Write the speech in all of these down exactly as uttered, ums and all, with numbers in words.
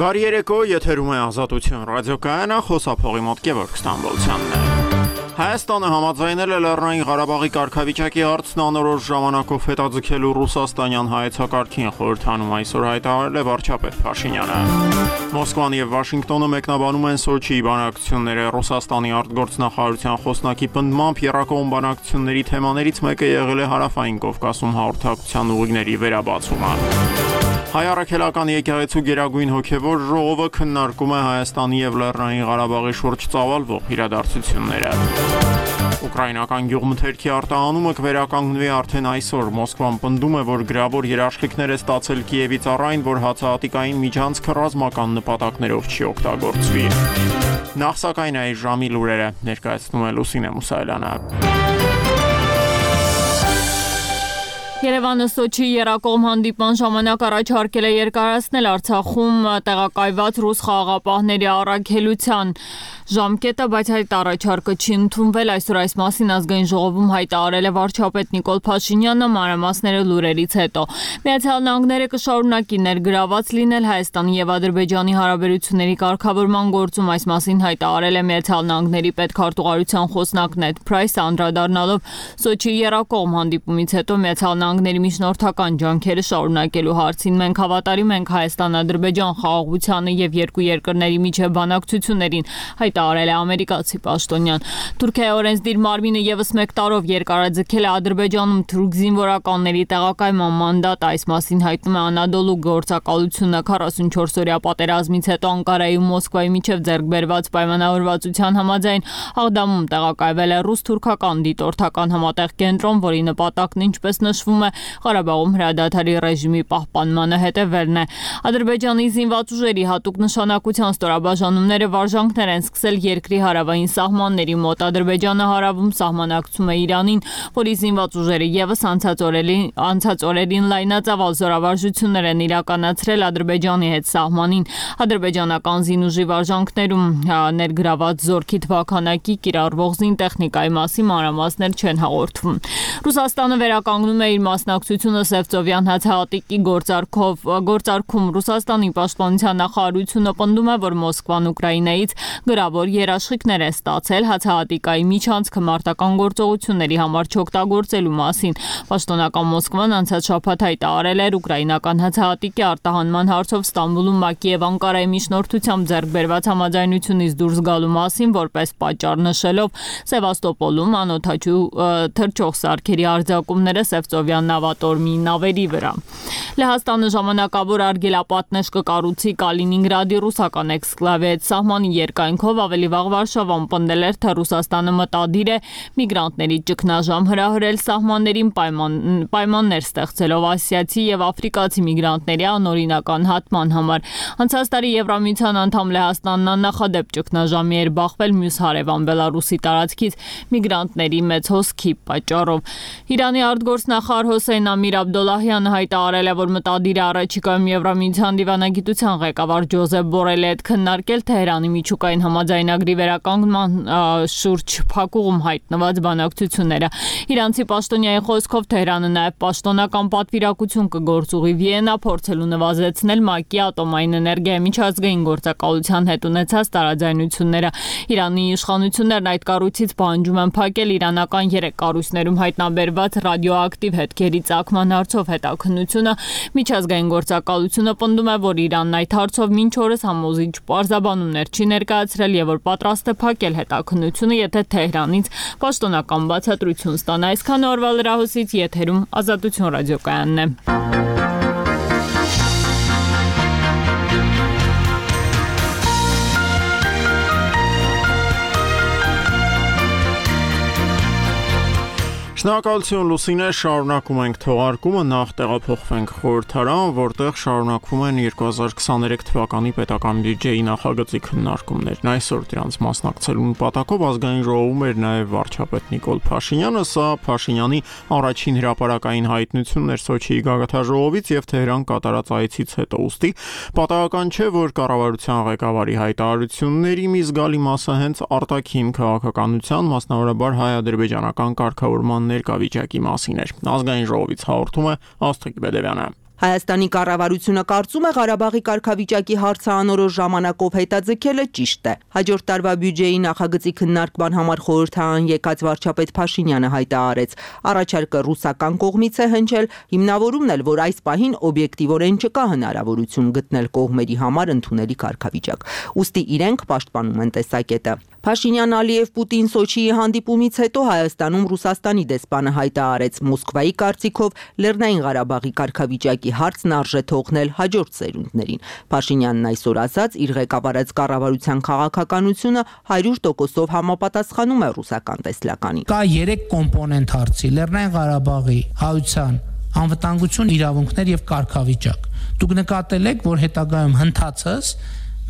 Բարի երեկո, եթերում է Ազատություն ռադիոկայանը, խոսափողի մոտ Գևորգ Ստամբոլցյանն է։ Հայաստանը համաձայնել է Լեռնային Ղարաբաղի կարգավիճակի հարցն անորոշ ժամանակով հետաձգելու ռուսաստանյան հայեցակարգին, խորհրդանում այսօր հայտարարել է վարչապետ Փաշինյանը։ Մոսկվան եւ Վաշինգտոնը մեկնաբանում են Սոչիի բանակցությունները։ Ռուսաստանի արտգործնախարարության խոսնակի պնդմամբ եռակողմ բանակցությունների թեմաներից մեկը եղել է Հարավային Կովկասում հաղորդակցության ուղիների վերաբացումը։ Հայ առաքելական եկեղեցու գերագույն հոգևոր ժողովը քննարկում է Հայաստանի եւ Լեռնային Ղարաբաղի շուրջ ծավալվող իրադարձությունները։ Ուկրաինական գյուղմթերքի արտահանումը կվերականգնվի արդեն այսօր։ Մոսկվան պնդում է, որ գրավոր երաշխիքներ է ստացել Կիևից առ այն, որ հացահատիկային միջանցքը ռազմական նպատակներով չի օգտագործվի։ Նախ սակայն այս ժամի լուրերը ներկայացնում է Լուսինե Մուսայելյանը։ Երևանը Սոչի եռակողմ հանդիպման ժամանակ առաջարկել է երկարացնել Արցախում տեղակայված ռուս խաղաղապահների առաքելության ժամկետը, բայց այդ առաջարկը չի ընդունվել։ Այսօր այս մասին ազգային ժողովում հայտարարել է վարչապետ Նիկոլ Փաշինյանը, մանրամասները լուրերից հետո։ Միացյալ Նահանգները կշարունակի ներգրաված լինել Հայաստանի եւ Ադրբեջանի հարաբերությունների կարգավորման գործում, այս մասին հայտարարել է Միացյալ Նահանգների պետքարտուղարության խոսնակ Նեդ Փրայսը, անդրադառնալով Սոչի եռակողմ հանդիպումից հետո Միացյալ Նահանգների միջնորդական ջանքերը շարունակելու հարցին։ Մենք հավատարիմ ենք Հայաստան-Ադրբեջան խաղաղությանը եւ երկու երկրների միջև բանակցություններին, հայտարարել է ամերիկացի պաշտոնյան։ Թուրքիայի օրենսդիր մարմինը եւս մեկ տարով երկարաձգել է Ադրբեջանում թուրք զինվորականների տեղակայման մանդատը, այս մասին հայտնում է Անադոլու գործակալությունը։ քառասունչորս-օրյա պատերազմից հետո Անկարայի ու Մոսկվայի միջև ձեռք բերված պայմանավորվածության համաձայն Աղդամում տեղակայվել է ռուս-թուրքական դիտորդական համատեղ կենտրոն, որի նպատակն, ինչպես նշվում է, Ղարաբաղում հրադադարի ռեժիմի պահպանմանը հետևելն է։ Ադրբեջանի զինված ուժերի հատուկ նշանակության ստորաբաժանումները վարժանքներ են սկսել երկրի հարավային սահմանների մոտ։ Ադրբեջանը հարավում սահմանակցում է Իրանին, որի զինված ուժերը եւս անցած օրերին անցած օրերին լայնածավալ զորավարժություններ են իրականացրել Ադրբեջանի հետ սահմանին։ Ադրբեջանական զինուժի վարժանքներում ներգրաված զորքի թվաքանակի, կիրառվող զինտեխնիկայի մասին մանրամասներ չեն հաղորդվում։ Ռուսաստանը վերականգնում է իր մասնակցությունը Սևծովյան հացահատիկի գործարքով գործարքում։ Ռուսաստանի պաշտպանության նախարարությունը պնդում է, որ Մոսկվան Ուկրաինայից գրավոր երաշխիքներ է ստացել հացահատիկայի միջանցքը մարտական գործողությունների համար չօգտագործելու մասին։ Պաշտոնական Մոսկվան անցած շաբաթ հայտարարել էր ուկրաինական հացահատիկի արտահանման հարցով Ստամբուլում ՄԱԿ-ի եւ Անկարայի միջնորդությամբ ձեռք բերված համաձայնությունից դուրս գալու մասին, որպես պատճառ նշելով Սևաստոպոլում անօդաչու թռչող սարքերի արձակումները Սևծովյան նավատորմի նավերի վրա։ Լեհաստանը ժամանակավոր արգելապատնեշ կկառուցի Կալինինգրադի ռուսական էքսկլավի սահմանի երկայնքով։ Ավելի վաղ Վարշավան պնդել էր, թե Ռուսաստանը մտադիր է միգրանտների ճգնաժամ հրահրել սահմաններին, պայման, պայմաններ ստեղծելով ասիացի եւ աֆրիկացի միգրանտների անօրինական հատման համար։ Անցած տարի Եվրամիության անդամ Լեհաստանն աննախադեպ ճգնաժամի էր բախվել մյուս հարևան Բելարուսի տարածքից միգրանտների մեծ հոսքի պատճառով։ Իրանի արտգործնախարար Հոսեյն Ամիր Աբդոլլահյանը հայտարարել է, որ մտադիր է առաջիկայում Եվրամիության դիվանագիտության ղեկավար Ջոզեփ Բորելի հետ քննարկել Թեհրանի միջուկային համաձայնագրի վերականգնման շուրջ փակուղում հայտնված բանակցությունները։ Իրանցի պաշտոնյայի խոսքով Թեհրանը նաև պաշտոնական պատվիրակություն կգործուղի Վիեննա, փորձելու նվազեցնել ՄԱԿ-ի ատոմային էներգիայի միջազգային գործակալության հետ ունեցած տարաձայնությունները։ Իրանի իշխանություններն այդ կառույցից պահանջում են փակել իրանական երեք կառույցներում հայտնաբերված ռադիոակտիվ հետքերի ծագման հարցով հետաքննությունը։ Միջազգային գործակալությունը պնդում է, որ Իրանն այդ հարցով մինչ օրս համոզիչ պարզաբանումներ չի ներկայացրել եւ որ պատրաստ է փակել հետաքննությունը, եթե Թեհրանից պաշտոնական բացատրություն ստանա։ Այսքան օրվա լրահոսից եթերում Ազատություն ռադիոկայանն է։ Շնորհակալություն Լուսինե, շարունակում ենք թողարկումը, նախ տեղափոխվենք խորհրդարան, որտեղ շարունակվում են երկու հազար քսաներեք թվականի պետական բյուջեի նախագծի քննարկումներն։ Այսօր դրանց մասնակցելու նպատակով ազգային ժողովում էր նաև վարչապետ Նիկոլ Փաշինյանը, սա Փաշինյանի առաջին հրապարակային հայտնությունն էր Սոչիի գագաթնաժողովից եւ Թեհրան կատարած այցից հետո, ուստի պատահական չէ, որ կառավարության ղեկավարի հայտարարությունների մի զգալի մասը հենց արտաքին քաղաքականության, մասնավորաբար հայ-ադրբեջանական կարգավորման ներկայվիճակի մասին էր։ Ազգային ժողովից հաղորդում է Աստղիկ Բեդևյանը։ Հայաստանի կառավարությունը կարծում է Ղարաբաղի կարգավիճակի հարցը անորոշ ժամանակով հետաձգելը ճիշտ է։ Հաջորդ տարվա բյուջեի նախագծի քննարկման համար խորհրդարան եկած վարչապետ Փաշինյանը հայտարարեց, առաջարկը ռուսական կողմից է հնչել, հիմնավորումն էլ, որ այս պահին օբյեկտիվորեն չկա հնարավորություն գտնել կողմերի համար ընդունելի կարգավիճակ։ Ուստի իրենք պաշտպանում են տեսակետը։ Փաշինյան Ալիև-Պուտին Սոչիի հանդիպումից հետո Հայաստանում Ռուսաստանի դեսպանը հայտարարեց, Մոսկվայի կարծիքով Լեռնային Ղարաբաղի կարգավիճակի հարցն արժե թողնել հաջորդ սերունդներին։ Փաշինյանն այսօր ասաց, իր ղեկավարած կառավարության քաղաքականությունը հարյուր տոկոսով համապատասխանում է ռուսական տեսլականին։ Կա երեք կոմպոնենտ հարցի՝ Լեռնային Ղարաբաղի հայության անվտանգություն, իրավունքներ եւ կարգավիճակ։ Դուք նկատել եք, որ հետագայում հնդածս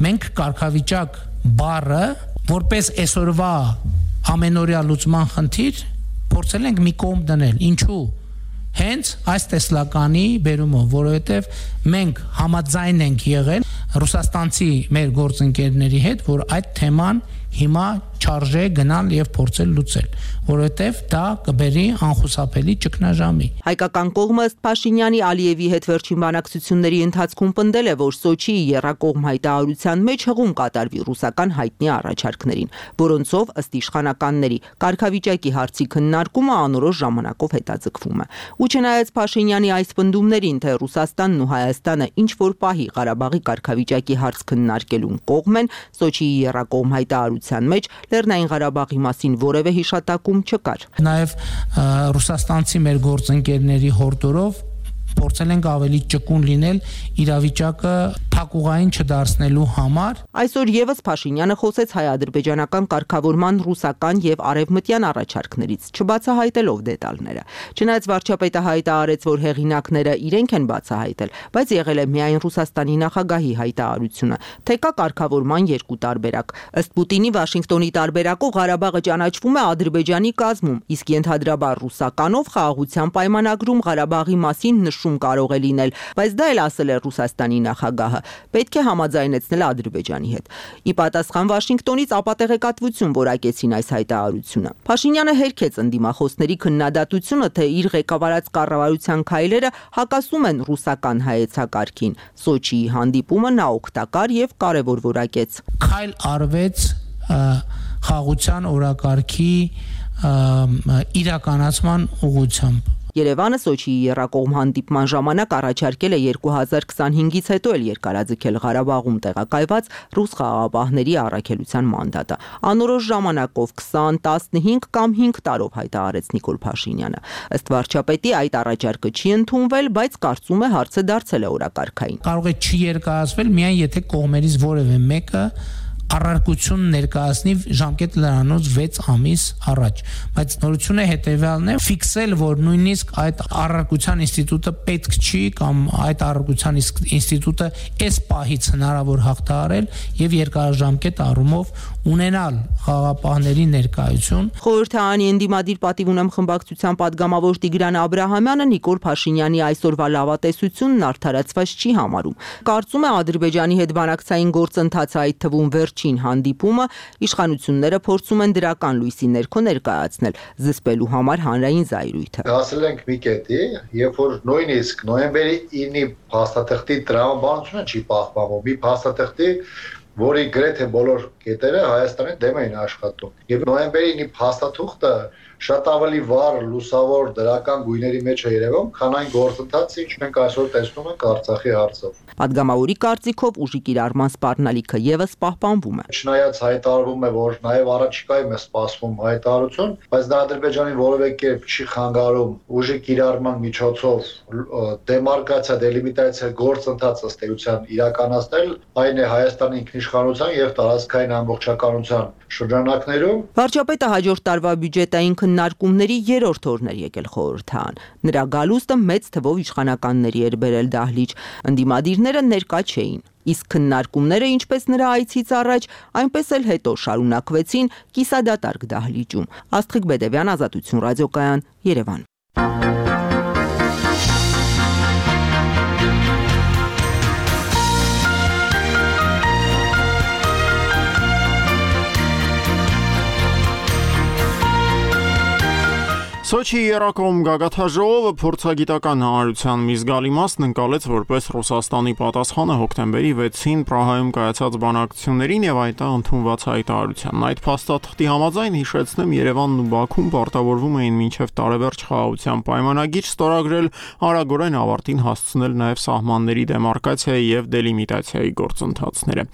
մենք կարգավիճակ բառը որպես այսօրվա ամենօրյա լուծման խնդիր փորձել ենք մի կողմ դնել։ Ինչու՞։ Հենց այս տեսլականի բերումով, որովհետև մենք համաձայն ենք եղել ռուսաստանցի մեր գործընկերների հետ, որ այդ թեման հիմա չարժե գնալ եւ փորձել լուծել, որովհետեւ դա կբերի անխուսափելի ճգնաժամի։ Հայկական կողմը ըստ Փաշինյանի Ալիևի հետ վերջին բանակցությունների ընթացքում պնդել է, որ Սոչիի եռակողմ հայտարարության մեջ հղում կատարվի ռուսական հայտնի առաջարկներին, որոնցով ըստ իշխանականների կարգավիճակի հարցի քննարկումը անորոշ ժամանակով հետաձգվում է։ Ու չնայած Փաշինյանի այս պնդումներին, թե Ռուսաստանն ու Հայաստանը ինչ որ պահի Ղարաբաղի կարգավիճակի հարց քննարկելուն կողմ են, Սոչիի եռակողմ հայտարարության մեջ Լեռնային Ղարաբաղի մասին որևէ հիշատակում չկար։ Նաև ռուսաստանցի մեր գործընկերների հորդորով փորձել ենք ավելի ճկուն լինել իրավիճակը փակուղային չդարձնելու համար։ Այսօր եւս Փաշինյանը խոսեց հայ-ադրբեջանական կարգավորման ռուսական եւ արևմտյան առաջարկներից, չբացահայտելով դետալները։ Չնայած վարչապետը հայտարարեց, որ հեղինակները իրենք են բացահայտել, բայց եղել է միայն Ռուսաստանի նախագահի հայտարարությունը, թե կա կարգավորման երկու տարբերակ։ Ըստ Պուտինի Վաշինգտոնի տարբերակով Ղարաբաղը ճանաչվում է Ադրբեջանի կազմում, իսկ ենթադրաբար ռուսականով խաղաղության պայմանագրում Ղարաբաղի մասին նշում կարող է լինել, բայց դա էլ ասել է Ռուսաստանի նախագահը, պետք է համաձայնեցնել Ադրբեջանի հետ։ Ի պատասխան Վաշինգտոնից ապատեղեկատվություն որակեցին այս հայտարարությունը։ Փաշինյանը հերքեց ընդդիմախոսների քննադատությունը, թե իր ղեկավարած կառավարության քայլերը հակասում են ռուսական հայեցակարգին։ Սոչիի հանդիպումը նա օգտակար եւ կարեւոր որակեց։ Քայլ արվեց խաղաղության օրակարգի իրականացման ուղղությամբ։ Երևանը Սոչիի եռակողմ հանդիպման ժամանակ առաջարկել է երկու հազար քսանհինգից հետո էլ երկարաձգել Ղարաբաղում տեղակայված ռուս խաղաղապահների առաքելության մանդատը։ Անորոշ ժամանակով քսան, տասնհինգ կամ հինգ տարով հայտարարեց Նիկոլ Փաշինյանը։ Ըստ վարչապետի այդ առաջարկը չի ընդունվել, բայց կարծում է հարցը դարձել է օրակարգային։ Կարող է չի երկարացվել միայն եթե կողմերից որևէ մեկը առարկություն ներկայացնի ժամկետ լրանոց վեց ամիս առաջ, բայց նորությունը հետևյալն է՝ ֆիքսել, որ նույնիսկ այդ առարկության ինստիտուտը պետք չի կամ այդ առարկության ինստիտուտը այս պահից հնարավոր հաղթահարել եւ երկարաժամկետ առումով ունենալ խաղաղապահների ներկայություն։ Խորհրդարանի ընդդիմադիր պատիվ ունեմ խմբակցության падգամավոր Տիգրան Աբրահամյանը Նիկոլ Փաշինյանի այսօրվա լավատեսությունն արդարացված չի համարում։ Կարծում է Ադրբեջանի հետ բանակցային գործընթացը, այդ թվում վերջին հանդիպումը, իշխանությունները փորձում են դրական լույսի ներքո ներկայացնել, զսպելու համար հանրային զայրույթը։ Հասել ենք մի կետի, երբ որ նույնիսկ նոյեմբերի ինը փաստաթղթի տրամաբանությունը չի պահպանվում, մի փաստաթղթի, որի գրեթե բոլոր կետերը Հայաստանի դեմ էին աշխատում։ Եվ նոյեմբերի ինը փաստաթուղթը շատ ավելի վառ, լուսավոր դրական գույների մեջ է երևում, քան այն գործընթացը, ինչ մենք այսօր տեսնում ենք Արցախի հարցով։ Պատգամավորի կարծիքով ուժի կիրառման սպառնալիքը եւս պահպանվում է։ Չնայած հայտարարվում է, որ նաեւ առաջիկայում է սպասվում հայտարարություն, բայց դա Ադրբեջանի որևէ կերպ չի խանգարում ուժի կիրառման միջոցով դեմարկացիա, դելիմիտացիա գործընթաց ըստ էության իրականացնել, այն է Հայաստանի ինքնիշխանության եւ տարածքային ամբողջականության շրջանակներում։ Վարչապետը հաջորդ տարվա բյուջետային քննարկումների երրորդ օրն էր եկել խորհրդարան։ Նրա գալուստը մեծ թվով իշխանականների էր բերել դահլիճ, ընդդիմադիրները ներկա չէին։ Իսկ քննարկումները, ինչպես նրա այցից առաջ, այնպես էլ հետո շարունակվեցին կիսադատարկ դահլիճում։ Աստղիկ Բեդևյան, Ազատություն ռադիոկայան, Երևան։ Սոչիի երակոմ գագաթաժողովը փորձագիտական հանրության մի զգալի մասն ընկալեց որպես Ռուսաստանի պատասխանը հոկտեմբերի վեցին Պրահայում կայացած բանակցություններին եւ այդ ընդունված հայտարարությանն։ Այդ փաստաթղթի համաձայն հիշեցնեմ Երևանն ու Բաքուն պարտավորվում էին մինչև տարեվերջ խաղաղության պայմանագիր ստորագրել, արագորեն ավարտին հասցնել նաեւ սահմանների դեմարկացիայի եւ դելիմիտացիայի գործընթացները։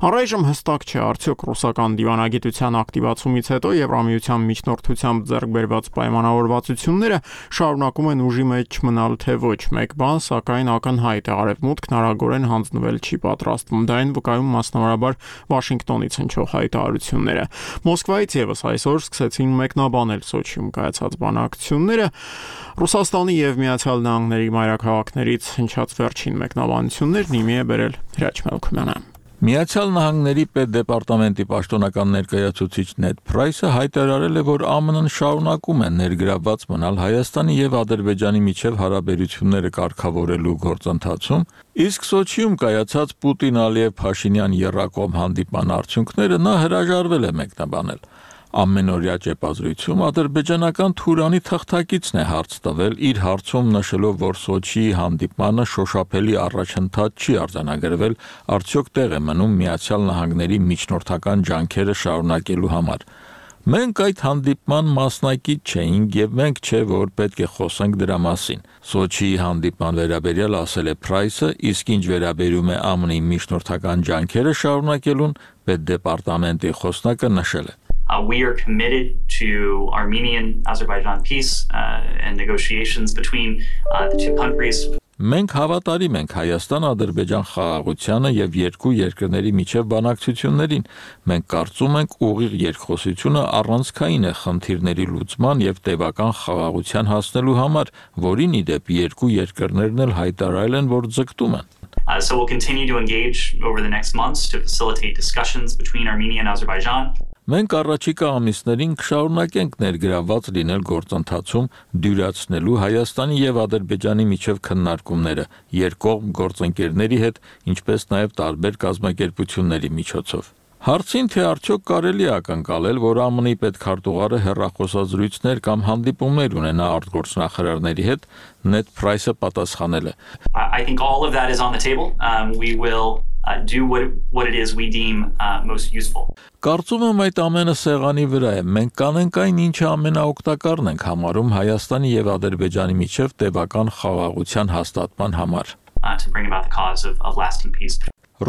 Առայժմ հստակ չէ արդյոք ռուսական դիվանագիտության ակտիվացումից հետո Եվրամիության միջնորդությամբ ձեռք բերված պայմանավորվածությունները շարունակում են ուժի մեջ մնալ թե ոչ։ Մեկ բան, սակայն ակնհայտ է, Արևմուտքն արագորեն հանձնվել չի պատրաստվում։ Դա այն վկայում մասնավորաբար Վաշինգտոնից հնչող հայտարարությունները։ Մոսկվայից եւս այսօր սկսեցին մեկնաբանել Սոչիում կայացած բանակցությունները։ Ռուսաստանի եւ Միացյալ Նահանգների մայրաքաղաքներից հնչած վերջին մեկնաբանություններն իմի է բերել Հրաչ Մելքումյանը։ Միացյալ Նահանգների պետդեպարտամենտի պաշտոնական ներկայացուցիչ Նեդ Փրայսը հայտարարել է, որ ԱՄՆ-ն շարունակում է ներգրավված մնալ Հայաստանի եւ Ադրբեջանի միջև հարաբերությունները կարգավորելու գործընթացում, իսկ Սոչիում կայացած Պուտին-Ալիև-Փաշինյան եռակողմ հանդիպման արդյունքները նա հրաժարվել է մեկնաբանել։ Ամենօրյա ճեպազրույցում ադրբեջանական Թուրանի թղթակիցն է հարց տվել, իր հարցում նշելով, որ Սոչիի հանդիպմանը շոշափելի առաջընթաց չի արձանագրվել, արդյոք տեղ է մնում Միացյալ Նահանգների միջնորդական ջանքերը շարունակելու համար։ Մենք այդ հանդիպման մասնակից չէինք եւ մենք չէ որ պետք է խոսենք դրա մասին։ Սոչիի հանդիպման վերաբերյալ ասել է Փրայսը, իսկ ինչ վերաբերում է ԱՄՆ-ի միջնորդական ջանքերը շարունակելուն, պետդեպարտամենտի խոսնակը նշել է. Uh, we are committed to Armenian-Azerbaijan peace uh, and negotiations between uh, the two countries. Մենք հավատարիմ ենք Հայաստան-Ադրբեջան խաղաղությանը եւ երկու երկրների միջև բանակցություններին։ Մենք կարծում ենք ուղիղ երկխոսությունը առանցքային է խնդիրների լուծման եւ տևական խաղաղության հասնելու համար, որին ի դեպ երկու երկրներն էլ հայտարարել են, որ ձգտում են։ Uh, so we'll continue to engage over the next months to facilitate discussions between Armenia and Azerbaijan. Մենք առաջիկա ամիսներին կշարունակենք ներգրավված լինել գործընթացում դյուրացնելու Հայաստանի եւ Ադրբեջանի միջև քննարկումները երկկողմ գործընկերների հետ, ինչպես նաեւ տարբեր կազմակերպությունների միջոցով։ Հարցին թե արդյոք կարելի է ակնկալել, որ ԱՄՆ-ի պետքարտուղարը հեռախոսազրույցներ կամ հանդիպումներ ունենա արտգործնախարարների հետ, Նեդ Փրայսը պատասխանել է. I think all of that is on the table. Um, we will Uh, do what what it is we deem uh, most useful. Կարծում եմ այդ ամենը սեղանի վրա է։ Մենք կանենք այն, ինչը ամենաօգտակարն ենք համարում Հայաստանի եւ Ադրբեջանի միջև տևական խաղաղության հաստատման համար։ Uh, to bring about the cause of, of lasting peace.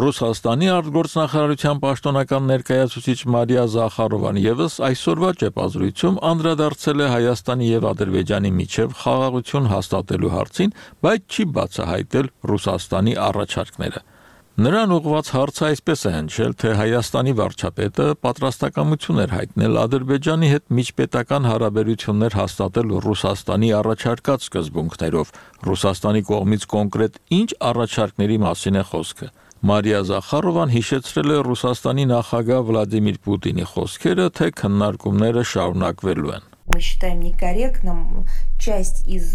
Ռուսաստանի արտգործնախարարության պաշտոնական ներկայացուցիչ Մարիա Զախարովան եւս այսօրվա ճեպազրույցում անդրադարձել է Հայաստանի եւ Ադրբեջանի միջև խաղաղություն հաստատելու հարցին, բայց չի բացահայտել Ռուսաստանի առաջարկները։ Նրան ուղղված հարցը այսպես է հնչել, թե Հայաստանի վարչապետը պատրաստակամություն էր հայտնել Ադրբեջանի հետ միջպետական հարաբերություններ հաստատել Ռուսաստանի առաջարկած սկզբունքներով։ Ռուսաստանի կողմից կոնկրետ ինչ առաջարկների մասին է խոսքը։ Մարիա Զախարովան հիշեցրել է Ռուսաստանի նախագահ Վլադիմիր Պուտինի խոսքերը, թե քննարկումները շարունակվելու են։ Мы считаем некорректным часть из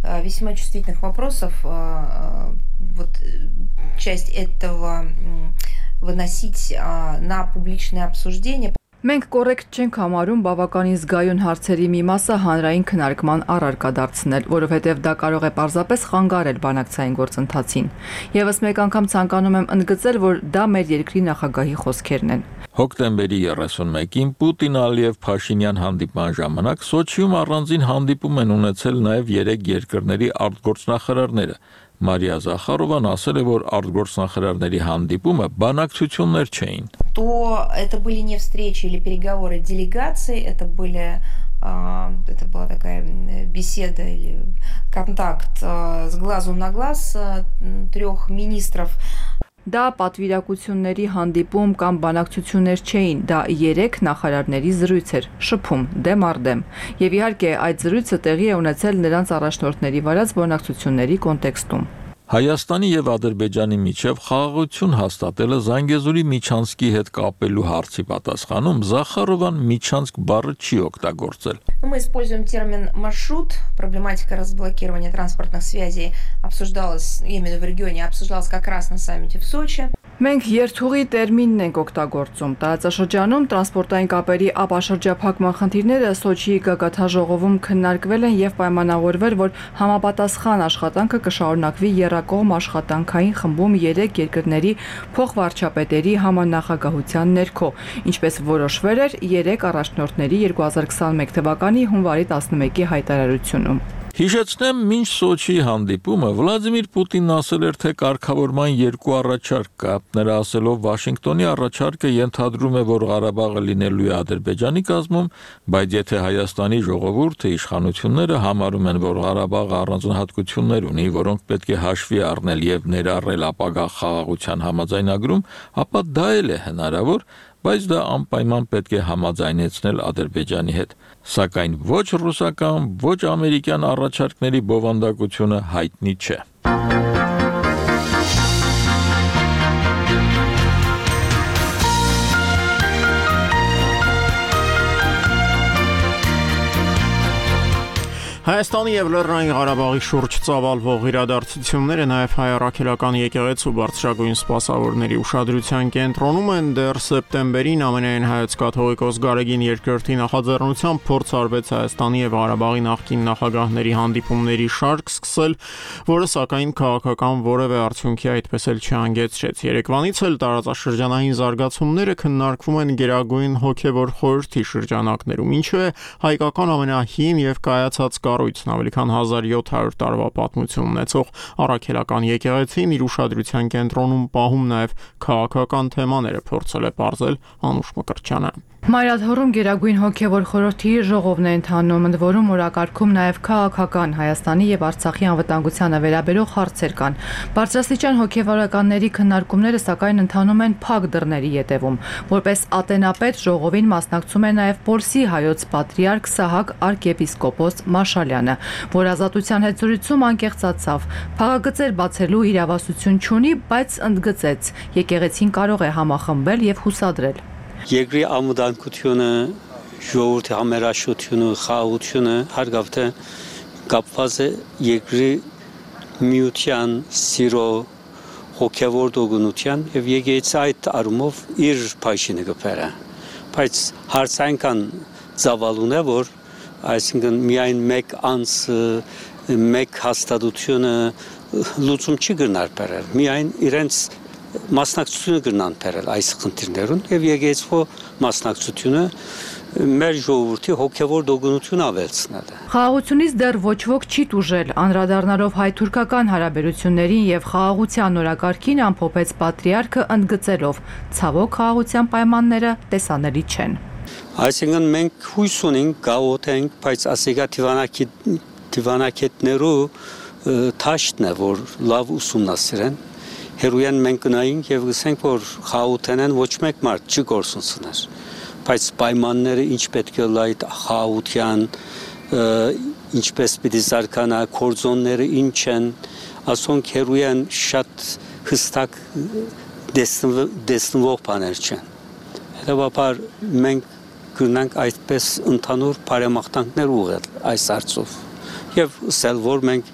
весьма чувствительных вопросов, вот часть этого выносить на публичное обсуждение. Մենք կոռեկտ չենք համարում բավականին զգայուն հարցերի մի մասը հանրային քննարկման առարկա դարձնել, որովհետև դա կարող է պարզապես խանգարել բանակցային գործընթացին։ Եվս մեկ անգամ ցանկանում եմ ընդգծել, որ դա մեր երկրի նախագահի խոսքերն են։ Հոկտեմբերի երեսունմեկին Պուտին-Ալիև-Փաշինյան հանդիպման ժամանակ Սոչիում առանձին հանդիպում են ունեցել նաև երեք երկրների արտգործնախարարները։ Մարիա Զախարովան ասել է, որ արտգործնախարարների հանդիպումը բանակցություններ չէին։ То это были не встречи или переговоры делегаций, это были это была такая беседа или контакт с глазу на глаз трех министров. Դա պատվիրակությունների հանդիպում կամ բանակցություններ չէին, դա երեք նախարարների զրույց էր, շփում, դեմ առ դեմ։ Եվ իհարկե այդ զրույցը տեղի է ունեցել նրանց առաջնորդների վարած բանակցությունների կոնտեքստում։ Հայաստանի եւ Ադրբեջանի միջև խաղաղություն հաստատելը Զանգեզուրի Միչանսկի հետ կապելու հարցի պատասխանում Զախարովան Միչանսկ բառը չի օգտագործել։ Мы используем термин маршрут. Проблематика разблокирования транспортных связей обсуждалась именно в регионе, обсуждалась как раз на саммите в Сочи. Մենք երթուղի տերմինն ենք օգտագործում։ Տարածաշրջանում տրանսպորտային կապերի ապաշրջափակման խնդիրները Սոչիի գագաթաժողովում քննարկվել են եւ պայմանավորվել, որ համապատասխան աշխատանքը կշարունակվի եռակողմ աշխատանքային խմբում երեք երկրների փոխվարչապետերի համանախագահության ներքո, ինչպես որոշվել էր երեք առաջնորդների երկու հազար քսաներկու թվականի հունվարի տասնմեկի հայտարարությունում։ Հիշեցնեմ, մինչ Սոչիի հանդիպումը Վլադիմիր Պուտինն ասել էր, թե կարգավորման երկու առաջարկ կա։ Նրա ասելով Վաշինգտոնի առաջարկը ենթադրում է, որ Ղարաբաղը լինելու է Ադրբեջանի կազմում, բայց եթե Հայաստանի ժողովուրդը իշխանությունները համարում են, որ Ղարաբաղը առանձնահատկություններ ունի, որոնք պետք է հաշվի առնել եւ ներառել ապագա խաղաղության համաձայնագրում, ապա դա էլ է հնարավոր, բայց դա անպայման պետք է համաձայնեցնել Ադրբեջանի հետ։ Սակայն ոչ ռուսական, ոչ ամերիկյան առաջարկների բովանդակությունը հայտնի չէ։ Հայաստանի եւ Լեռնային Ղարաբաղի շուրջ ծավալվող իրադարձությունները նաեւ հայ առաքելական եկեղեցու բարձրագույն սպասավորների ուշադրության կենտրոնում են։ Դեռ սեպտեմբերին ամենայն հայոց կաթողիկոս Գարեգին երկրորդի նախաձեռնությամբ փորձ արվեց Հայաստանի եւ Ղարաբաղի նախկին նախագահների հանդիպումների շարք սկսել, որը սակայն քաղաքական որևէ արդյունքի այդպես էլ չհանգեցրեց։ Երեկվանից էլ տարածաշրջանային զարգացումները քննարկվում են Գերագույն հոգեվոր խորհրդի շրջանակներում, ինչու է հայկական ամենահին եւ կայացած կառույցն ավելի քան հազար յոթ հարյուր տարվա պատմություն ունեցող առաքելական եկեղեցին իր ուշադրության կենտրոնում պահում նաև քաղաքական թեմաները, փորձել է պարզել Անուշ Մկրտչյանը։ Մայրաթոռում Գերագույն հոգեվոր խորհրդի ժողովն է ընթանում, ընդ որում օրակարգում նաև քաղաքական Հայաստանի եւ Արցախի անվտանգությանը վերաբերող հարցեր կան։ Բարձրաստիճան հոգեվորականների քննարկումները սակայն ընթանում են փակ դռների ետևում։ Որպես ատենապետ ժողովին մասնակցում է նաև Պոլսի հայոց պատրիարք Սահակ arczepiskopos Մաշալյանը, որ ազատության հետ զրույցում անկեղծացավ։ Փաղագծեր բացելու իրավասություն չունի, բայց ընդգծեց, եկեղեցին կարող է համախմբել եւ հուսադրել։ Երկրի ամուդանկությունը, ժողովրդի համերաշխությունը, խաղաղությունը հարգավթե կապված է երկրի միության, սիրո, հոգևոր դոգունության եւ եկեղեցի այդ առումով իր փայշինը կփերը։ Բայց հարցը այնքան ծավալուն է, որ այսինքն միայն մեկ անձ, մեկ հաստատությունը լուծում չի գնար բերել, միայն իրենց մասնակցությունը գնան բերել այս խնդիրներուն եւ եկեղեցու մասնակցությունը մեր ժողովրդի հոգեվոր դոգունությունը ավելցնել է։ Խաղաղությունից դեռ ոչ ոք չի տուժել, անդրադառնալով հայ-թուրքական հարաբերություններին եւ խաղաղության օրակարգին ամփոփեց պատրիարքը ընդգծելով. ցավոք խաղաղության պայմանները տեսանելի չեն։ Այսինքն մենք հույս ունենք, գաղութ ենք, բայց ասիկա դիվանագետներու թաշտն է, որ լավ ուսումնասիրեն։ Հերույեն մենք գնայինք եւ գսենք, որ խաղութենեն ոչ մեկ մարդ չի գործունցներ, բայց պայմանները ինչ պետք է լայտ խաղության, ինչպես պիտի զարգանա, կորձոնները ինչ են, ասոնք հերույեն շատ հստակ դեսնվող բաներ չեն։ Հետևաբար մենք գնանք այդպես ընդհանուր բարեմաղթանքներ ուղղել այս հարցով եւ ասել, որ մենք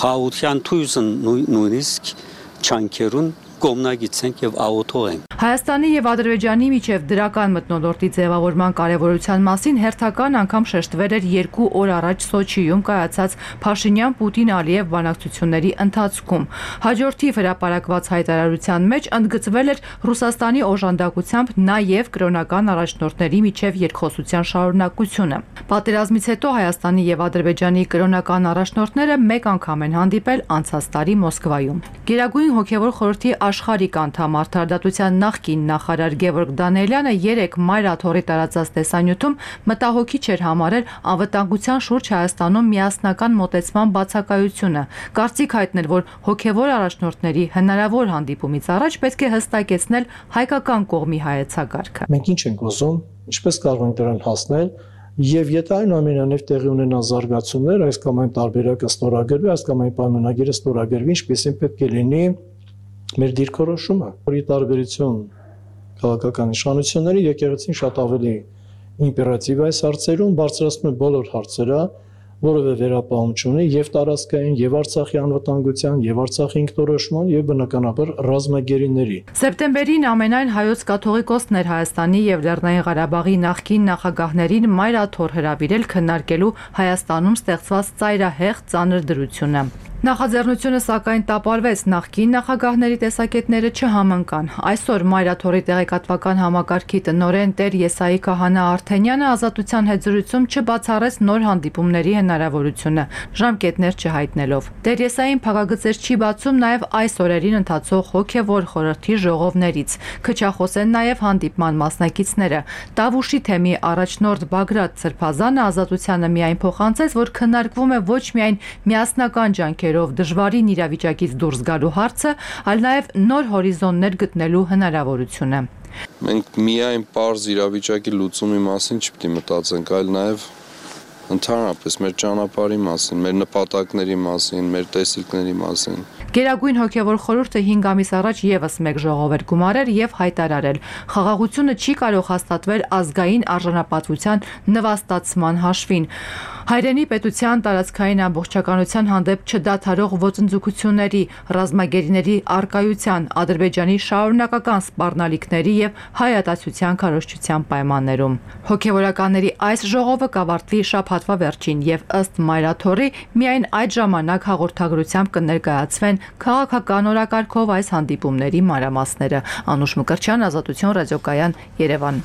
խաղության թույզն նույնիսկ չանքերուն կողմնագիցենք եւ աղոթողենք։ Հայաստանի եւ Ադրբեջանի միջև դրական մթնոլորտի ձևավորման կարևորության մասին հերթական անգամ շեշտվել էր երկու օր առաջ Սոչիում կայացած Փաշինյան-Պուտին-Ալիև բանակցությունների ընթացքում։ Հաջորդիվ հրապարակված հայտարարության մեջ ընդգծվել էր Ռուսաստանի օժանդակությամբ նաեւ կրոնական առաջնորդների միջև երկխոսության շարունակությունը։ Պատերազմից հետո Հայաստանի եւ Ադրբեջանի կրոնական առաջնորդները մեկ անգամ են հանդիպել անցած տարի Մոսկվայում։ Գերագույն հոգեվոր խորհրդի աշխարհիկ անդամ արդարադատության նախկին նախարար Գևորգ Դանիելյանը երեք Մայրաթոռի տարածած տեսանյութում մտահոգիչ էր համարել անվտանգության շուրջ Հայաստանում միասնական մոտեցման բացակայությունը։ Կարծիք հայտնել, որ հոգեվոր առաջնորդների հնարավոր հանդիպումից առաջ պետք է հստակեցնել հայկական կողմի հայեցակարգը։ Մենք ինչ ենք ուզում, ինչպես կարող ենք դրան հասնել, եւ եթե այնուամենայնիվ տեղի ունենան զարգացումներ, այս կամ այն տարբերակը ստորագրվի, այս կամ այն պայմանագիրը ստորագրվի, ինչպեսին պետք է լինի մեր դիրքորոշումը, որի տարբերություն քաղաքական իշխանությունների եկեղեցին շատ ավելի իմպերատիվ այս հարցերում բարձրացնում է բոլոր հարցերը, որևէ վերապահում չունի եւ տարածքային, եւ Արցախի անվտանգության, եւ Արցախի ինքնորոշման, եւ բնականաբար ռազմագերիների։ Սեպտեմբերին ամենայն հայոց կաթողիկոսներ Հայաստանի եւ Լեռնային Ղարաբաղի նախկին նախագահներին մայրաթոռ հրավիրել քննարկելու Հայաստանում ստեղծված ծայրահեղ ծանր դրությունը։ Նախաձեռնությունը սակայն տապալվեց, նախկին նախագահների տեսակետները չհամընկան։ Այսօր մայրաթոռի տեղեկատվական համակարգի տնօրեն Տեր Եսայի Քահանա Արթենյանը ազատության հետ զրույցում չբացառեց նոր հանդիպումների հնարավորությունը, ժամկետներ չհայտնելով։ Տեր Եսային փակագծեր չի բացում նաև այս օրերին ընթացող հոգևոր խորհրդի ժողովներից։ Քչախոս են նաև հանդիպման մասնակիցները։ Տավուշի թեմի առաջնորդ Բագրատ Սրբազանը ազատությանը միայն փոխանցեց, որ քննարկվում է ոչ միայն միասնական ջանքեր դժվարին իրավիճակից դուրս գալու հարցը, այլ նաև նոր հորիզոններ գտնելու հնարավորությունը։ Մենք միայն պարզ իրավիճակի լուծումի մասին չպետք է մտածենք, այլ նաև ընդհանրապես մեր ճանապարհի մասին, մեր նպատակների մասին, մեր տեսիլքների մասին։ Գերագույն հոգևոր խորհուրդը հինգ ամիս առաջ եւս մեկ ժողով էր գումարել եւ հայտարարել. խաղաղությունը չի կարող հաստատվել ազգային արժանապատվության նվաստացման հաշվին։ Հայրենի պետության տարածքային ամբողջականության հանդեպ չդադարող ոտնձգությունների, ռազմագերիների արկայության, Ադրբեջանի շարունակական սպառնալիքների եւ հայատացության քարոզչության պայմաններում։ Հոգևորականների այս ժողովը կավարտվի շաբաթվա վերջին եւ ըստ մայրաթոռի միայն այդ ժամանակ հաղորդագրությամբ կներկայացվեն քաղաքական օրակարգով այս հանդիպումների մանրամասները։ Անուշ Մկրտչյան, Ազատություն ռադիոկայան, Երևան։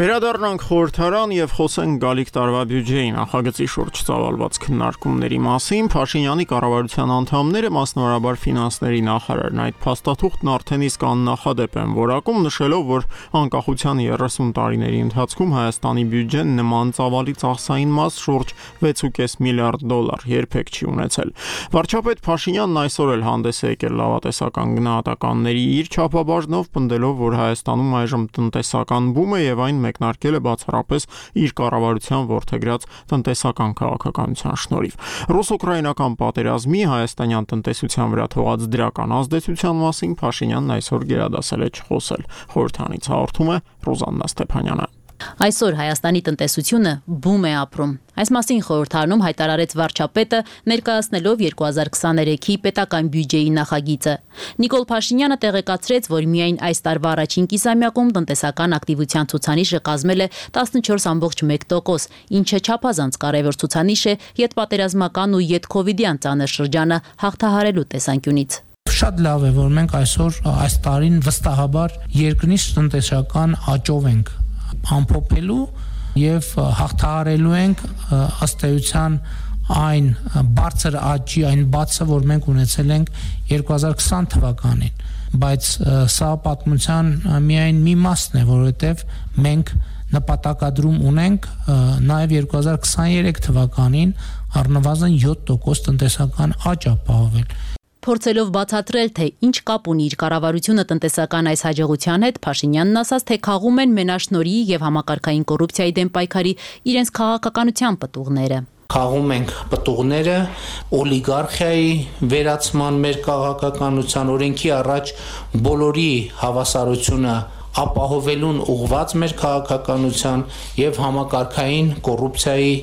Վերադառնանք խորհրդարան եւ խոսենք գալիք տարվա բյուջեի նախագծի շուրջ ծավալված քննարկումների մասին։ Փաշինյանի կառավարության անդամները, մասնավորաբար ֆինանսների նախարարն, այդ փաստաթուղթն արդեն իսկ աննախադեպ են որակում, նշելով, որ անկախության երեսուն տարիների ընթացքում Հայաստանի բյուջեն նման ծավալի ծախսային մաս շուրջ վեց ու կես միլիարդ դոլար երբեք չի ունեցել։ Վարչապետ Փաշինյանն այսօր էլ հանդես է եկել լավատեսական գնահատականների իր չափաբաժնով, պնդելով, որ Հայաստանում այժմ տնտեսական բում է եւ այն մեկնարկել է բացառապես իր կառավարության որդեգրած տնտեսական քաղաքականության շնորհիվ։ Ռուս-ուկրաինական պատերազմի հայաստանյան տնտեսության վրա թողած դրական ազդեցության մասին Փաշինյանն այսօր գերադասել է չխոսել։ Խորհրդանից հաղորդում է Ռոզաննա Ստեփանյանը։ Այսօր Հայաստանի տնտեսությունը բում է ապրում։ Այս մասին խորհրդարանում հայտարարեց վարչապետը, ներկայացնելով երկու հազար քսաներեքի պետական բյուջեի նախագիծը։ Նիկոլ Փաշինյանը տեղեկացրեց, որ միայն այս տարվա առաջին կիսամյակում տնտեսական ակտիվության ցուցանիշը կազմել է տասնչորս կόμma մեկ տոկոս, ինչը չափազանց կարևոր ցուցանիշ է յետպատերազմական ու յետքովիդյան ծանր շրջանը հաղթահարելու տեսանկյունից։ Շատ լավ է, որ մենք այսօր այս տարին վստահաբար երկնից տնտեսական աճով ենք ամփոփելու եւ հաղթահարելու ենք ըստ էության այն բարձր աճի, այն բացը, որ մենք ունեցել ենք երկու հազար քսան թվականին, բայց սա պատմության միայն մի մասն է, որովհետեւ մենք նպատակադրում ունենք նաեւ երկու հազար քսաներեք թվականին առնվազն յոթ տոկոս տնտեսական աճ ապահովել։ Փորձելով բացատրել, թե ինչ կապ ունի իր կառավարությունը տնտեսական այս հաջողության հետ, Փաշինյանն ասաց, թե քաղում են մենաշնորհի եւ համակարգային կոռուպցիայի դեմ պայքարի իրենց քաղաքականության պտուղները։ Քաղում ենք պտուղները օլիգարխիայի վերացման մեր քաղաքականության, օրենքի առաջ բոլորի հավասարությունը ապահովելուն ուղղված մեր քաղաքականության եւ համակարգային կոռուպցիայի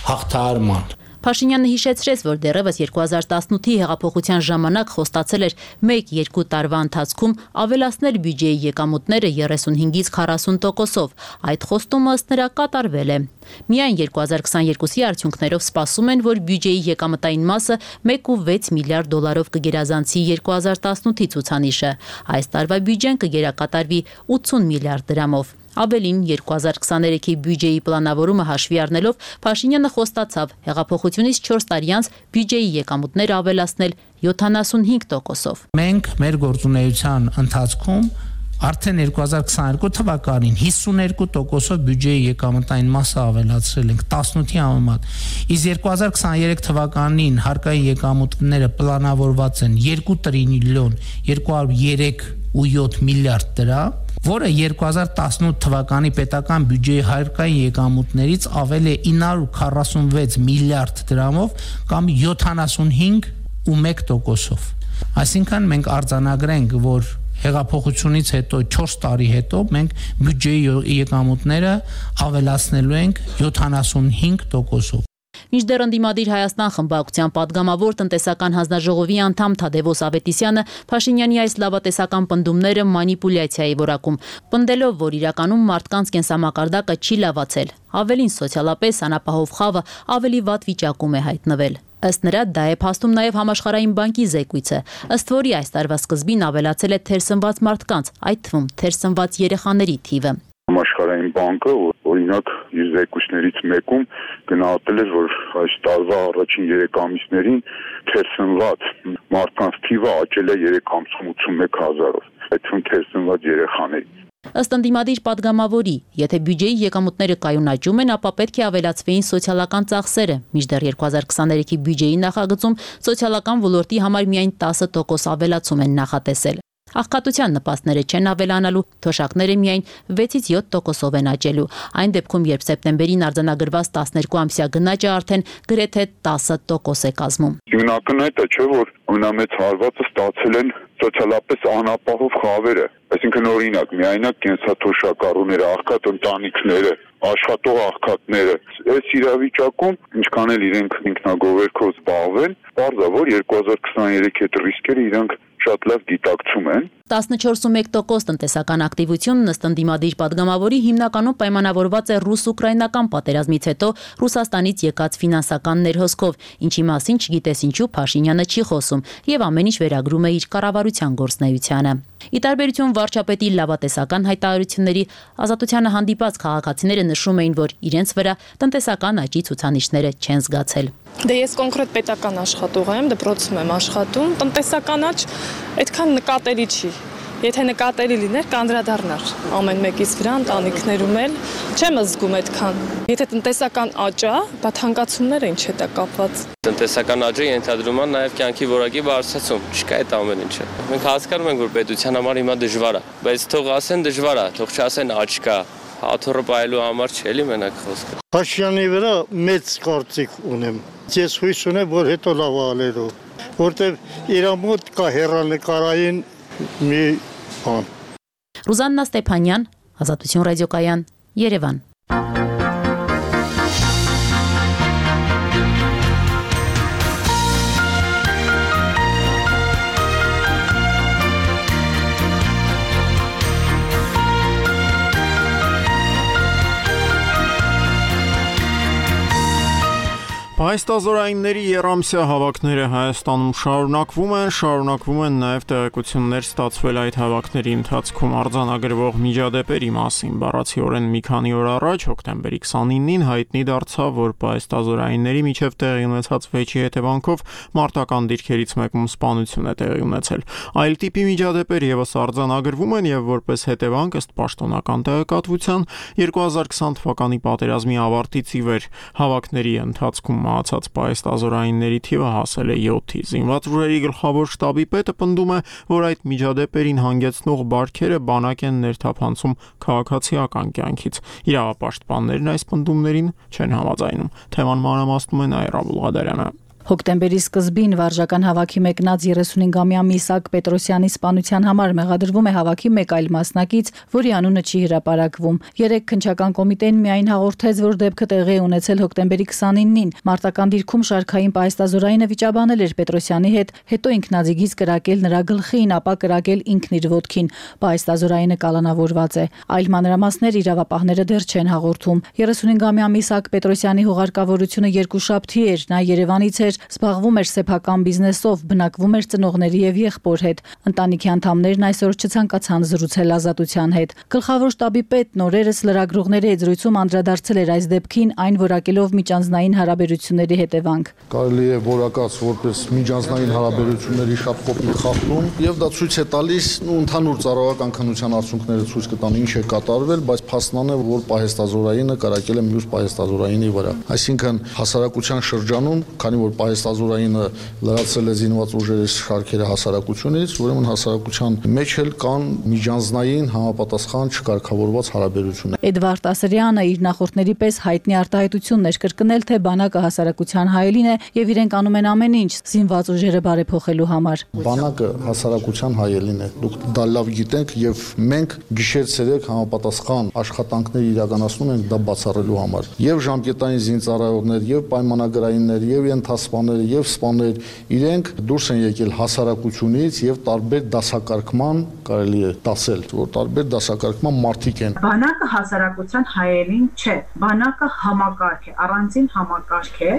հաղթահարման։ Փաշինյանը հիշեցրեց, որ դեռևս երկու հազար տասնութի հեղափոխության ժամանակ խոստացել էր մեկ-երկու տարվա ընթացքում ավելացնել բյուջեի եկամուտները երեսունհինգից քառասուն տոկոսով։ Այդ խոստումը ըստ նրա կատարվել է։ Միայն երկու հազար քսաներկուսի արդյունքներով սպասում են, որ բյուջեի եկամտային մասը մեկ կόμma վեց միլիարդ դոլարով կգերազանցի երկու հազար տասնութի ցուցանիշը։ Այս տարվա բյուջեն կգերակատարվի ութսուն միլիարդ դրամով։ Ավելին երկու հազար քսաներեքի բյուջեի պլանավորումը հաշվի առնելով Փաշինյանը խոստացավ հեղափոխությունից չորս տարի անց բյուջեի եկամուտները ավելացնել յոթանասունհինգ տոկոսով։ Մենք մեր գործունեության ընթացքում արդեն երկու հազար քսաներկու թվականին հիսուներկու տոկոսով բյուջեի եկամտային մասը ավելացրել ենք տասնութի համեմատ։ Իսկ երկու հազար քսաներեք թվականին հարկային եկամուտները պլանավորված են երկու տրիլիոն երկու հարյուր երեք ու յոթ միլիարդ դրամ, որը երկու հազար տասնութ թվականի պետական բյուջեի հարկային եկամուտներից ավել է ինը հարյուր քառասունվեց միլիարդ դրամով կամ յոթանասունհինգ ու մեկ տոկոսով։ Այսինքն մենք արձանագրենք, որ հեղափոխությունից հետո չորս տարի հետո մենք բյուջեի եկամուտները ավելացնելու ենք յոթանասունհինգ տոկոսով։ Մինչդեռ ընդդիմադիր Հայաստան խմբակցության падգամավոր տնտեսական հանձնաժողովի անդամ Թադևոս Ավետիսյանը Փաշինյանի այս լավատեսական պնդումները մանիպուլյացիայի որակում, պնդելով, որ իրականում մարդկանց կենսամակարդակը չի լավացել, ավելին սոցիալապես անապահով խավը ավելի վատ վիճակում է հայտնվել։ Ըստ նրա, դա է փաստում նաև Համաշխարհային բանկի զեկույցը, ըստ որի այս տարվա սկզբին ավելացել է թերսնված մարդկանց, այդ թվում թերսնված երեխաների թիվը։ Համաշխարհային բանկը օրինակ իր զեկույցներից մեկում գնահատել էր, որ այս տարվա առաջին երեք ամիսներին թերսնված մարդկանց թիվը աճել է երեք անգամ ութսունմեկ հազարով, այդ թվում թերսնված երեխաների։ Ըստ ընդդիմադիր падգամավորի, եթե բյուջեի եկամուտները կայուն աճում են, ապա պետք է ավելացվեին սոցիալական ծախսերը, մինչդեռ երկու հազար քսաներեքի բյուջեի նախագծում սոցիալական ոլորտի համար միայն տասը տոկոս ավելացում են նախատեսել։ Աղքատության նպաստները չեն ավելանալու, թոշակները միայն վեցից յոթ տոկոսով են աճելու։ Այն դեպքում, երբ սեպտեմբերին արձանագրված տասներկու ամսյա գնաճը արդեն գրեթե տասը տոկոս է կազմում։ Յուրաքանչյուրը չէ, որ ամենամեծ հարվածը ստացել են սոցիալապես անապահով խավերը, այսինքն օրինակ միայնակ կենսաթոշակառուները, աղքատ ընտանիքները, աշխատող աղքատները, այս իրավիճակում ինչքան էլ իրենք ինքնագովերքով զբաղվեն, պարզ է, որ երկու հազար քսաներեքի հետ ռիսկերը իրենք շատ լավ գիտակցում են։ տասնչորս տոկոս տնտեսական ակտիվությունն ըստ ընդդիմադիր падգամավորի հիմնականում պայմանավորված է ռուս-ուկրաինական պատերազմից հետո Ռուսաստանից եկած ֆինանսական ներհոսքով, ինչի մասին չգիտես ինչու Փաշինյանը չի խոսում եւ ամեն ինչ վերագրում է իր կառավարության գործունեությանը։ Ի տարբերություն վարչապետի լավատեսական հայտարարությունների, Ազատությանը հանդիպած քաղաքացիները նշում էին, որ իրենց վրա տնտեսական աճի ցուցանիշները չեն զգացել։ Դե ես կոնկրետ պետական աշխատող եմ, դպրոցում եմ աշխատում, տնտեսական աճ այդքան նկատելի չի։ Եթե նկատելի լիներ, կանդրադառնար ամեն մեկից վրա, ընտանիքներում էլ չեմ զգում այդքան։ Եթե տնտեսական աճ է, բա թանկացումները ինչ հետ է կապված։ Տնտեսական աճը ենթադրում է նաև կյանքի որակի բարձրացում, չկա այդ ամեն ինչը։ Մենք հասկանում ենք, որ պետության համար հիմա դժվար է, բայց թող ասեն դժվար է, թող չասեն աճ կա։ Աթոռը պայելու համար չէ՞ էլի մենակ խոսքը։ Փաշինյանի վրա մեծ կարծիք ունեմ։ Ես հույս ունեմ, որ հետո լավ ալերու, որտեղ իր մոտ կա հեռանկարային մի բան։ Ռուզաննա Ստեփանյան, Ազատություն ռադիոկայան, Երևան։ Պայստազորայինների երամսյա հավաքները Հայաստանում շարունակվում են, շարունակվում են նաև տեղեկություններ ստացվել այդ հավաքների ընթացքում արձանագրվող միջադեպերի մասին։ Բառացիորեն մի քանի օր առաջ, հոկտեմբերի քսանինին, հայտնի դարձավ, որ պայստազորայինների միջև տեղի ունեցած վեճի հետևանքով մարտական դիրքերից մեկում սպանություն է տեղի ունեցել։ Այլ տիպի միջադեպեր եւս արձանագրվում են եւ որպես հետևանք, ըստ պաշտոնական տեղեկատվության, երկու հազար քսան թվականի պատերազմի ավարտից ի վեր հավաքների ընթացքում մահացած պայստազորայինների թիվը հասել է յոթի։ Զինված ուժերի գլխավոր շտաբի պետը պնդում է, որ այդ միջադեպերին հանգեցնող բարքերը բանակ են ներթափանցում քաղաքացիական կյանքից։ Իրավապաշտպաններն այս պնդումներին չեն համաձայնում։ Թեման մանրամասնում է Նաիրա Բուլղադարյանը։ Հոկտեմբերի սկզբին վարժական հավաքի մեկնած երեսունհինգամյա Միսակ Պետրոսյանի սպանության համար մեղադրվում է հավաքի մեկ այլ մասնակից, որի անունը չի հրապարակվում։ Երեք քննչական կոմիտեն միայն հաղորդեց, որ դեպքը տեղի է ունեցել հոկտեմբերի քսանինին։ Մարտական դիրքում շարքային պայստազորայինը վիճաբանել էր Պետրոսյանի հետ, հետո ինքնաձիգից կրակել նրա գլխին, ապա կրակել ինքն իր ոտքին։ Պայստազորայինը կալանավորված է։ Այլ մանրամասներ իրավապահները դեռ չեն հաղորդում։ երեսունհինգամյա Միսակ Պետրոսյանի հուղարկավորությունը երկուշաբթի էր, նա Երևանից էր, զբաղվում էր սեփական բիզնեսով, բնակվում էր ծնողների եւ եղբոր հետ։ Ընտանիքի անդամներն այսօր չցանկացան զրուցել Ազատության հետ։ Գլխավոր շտաբի պետն օրերս լրագրողների հետ զրույցում անդրադարձել էր այս դեպքին, այն որակելով միջանձնային հարաբերությունների հետևանք։ Կարելի է որակած որպես միջանձնային հարաբերությունների շատ կոպիտ խախտում, եւ դա ցույց է տալիս ու ընդհանուր ծառայական քննության արդյունքները ցույց կտան ինչ է կատարվել, բայց փաստն է, որ պահեստազորայինը կարակել է մյուս պահեստազորայինի վրա։ Այսինքն հասարակության շրջանում, քանի որ պահեստազորայինը լրացրել է զինված ուժերի շարքերը հասարակությունից, ուրեմն հասարակության մեջ էլ կան միջանձնային համապատասխան չկարգավորված հարաբերություններ։ Էդվարդ Ասրյանը իր նախորդների պես հայտնի արտահայտություններ կրկնել, թե բանակը հասարակության հայելին է եւ իրենք անում են ամեն ինչ զինված ուժերը բարեփոխելու համար։ Բանակը հասարակության հայելին է։ Դուք դա լավ գիտենք եւ մենք գիշեր-ցերեկ համապատասխան աշխատանքներ իրականացնում ենք դա բացառելու համար։ Եվ ժամկետային զինծառայողներ, եւ պայմանագրայիններ, եւ ենթասպաներ, եւ սպաներ իրենք դուրս են եկել հասարակությունից եւ տարբեր դասակարգման կարելի է դասել, որ տարբեր դասակարգման մարդիկ են։ Բանակը հասարակության հայելին չէ։ Բանակը համակարգ է, առանձին համակարգ է,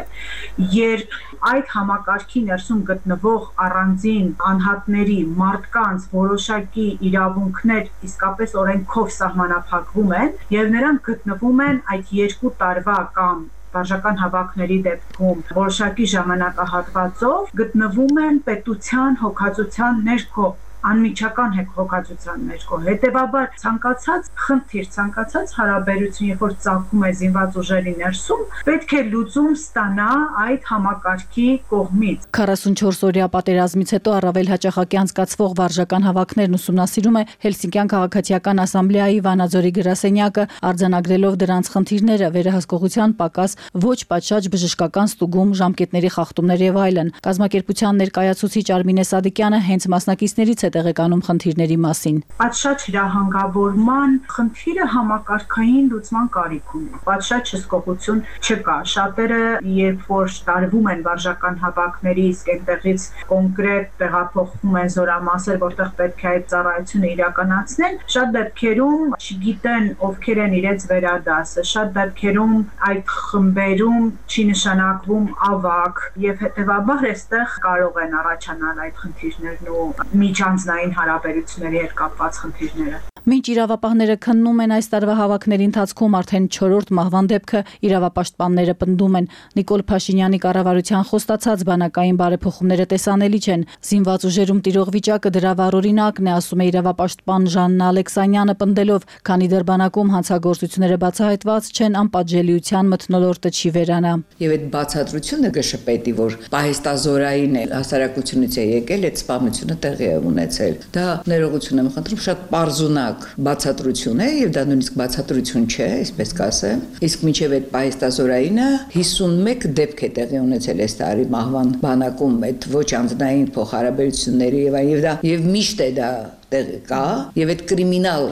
երբ այդ համակարգի ներսում գտնվող առանձին անհատների մարդկանց որոշակի իրավունքներ իսկապես օրենքով սահմանափակվում են եւ նրանք գտնվում են այդ երկու տարվա կամ վարժական հավաքների դեպքում որոշակի ժամանակահատվածով գտնվում են պետության հոգացության ներքո անմիջական հոգացության ներքո։ Հետևաբար ցանկացած խնդիր, ցանկացած հարաբերություն, երբ որ ծագում է զինված ուժերի ներսում, պետք է լուծում ստանա այդ համակարգի կողմից։ քառասունչորս օրյա պատերազմից հետո առավել հաճախակի անցկացվող վարժական հավաքներն ուսումնասիրում է Հելսինկյան քաղաքացիական ասամբլեայի Վանաձորի գրասենյակը, արձանագրելով դրանց խնդիրները, վերահսկողության պակաս, ոչ պատշաճ բժշկական ստուգում, ժամկետների խախտումներ եւ այլն։ Կազմակերպության ներկայացուցիչ Արմինե Սադիկյանը հենց մասնակիցներից տեղեկանում խնդիրների մասին։ Պատշաճ հրահանգավորման խնդիրը համակարգային լուծման կարիք ունի։ Պատշաճ հսկողություն չկա։ Շատերը, երբ որ տարվում են վարժական հավաքների, իսկ այնտեղից կոնկրետ տեղափոխվում են զորամասեր, որտեղ պետք է այդ ծառայությունը իրականացնեն, շատ դեպքերում չգիտեն ովքեր են իրենց վերադասը, շատ դեպքերում այդ խմբերում չի նշանակվում ավակ եւ հետեւաբար այստեղ կարող են առաջանալ այդ խնդիրներն ու միջանձնային հարաբերությունների հետ կապված խնդիրները։ Մինչ իրավապահները քննում են այս տարվա հավաքների ընթացքում արդեն չորրորդ մահվան դեպքը իրավապաշտպանները պնդում են։ Նիկոլ Փաշինյանի կառավարության խոստացած բանակային բարեփոխումները տեսանելի չեն։ Զինված ուժերում տիրող վիճակը դրա վառօրինակն է, ասում է իրավապաշտպան Ժաննա Ալեքսանյանը, պնդելով, քանի դեռ բանակում հանցագործությունները բացահայտված չեն, անպատժելիության մթնոլորտը չի վերանա։ Եվ այդ բացատրությունը կշպետի, որ պահեստազորային է հասարակությունից է եկել, այդ սպանությունը տեղի է ունեցել։ Դա ներողություն եմ խնդրում, շատ պարզունակ բացատրություն է եւ դա նույնիսկ բացատրություն չէ, այսպես կասեմ։ Իսկ մինչեւ այդ պահեստազորայինը հիսունմեկ դեպք է տեղի ունեցել այս տարի մահվան բանակում այդ ոչ անձնային փոխհարաբերությունների եւ այլ եւ դա եւ միշտ է դա տեղի կա եւ այդ կրիմինալ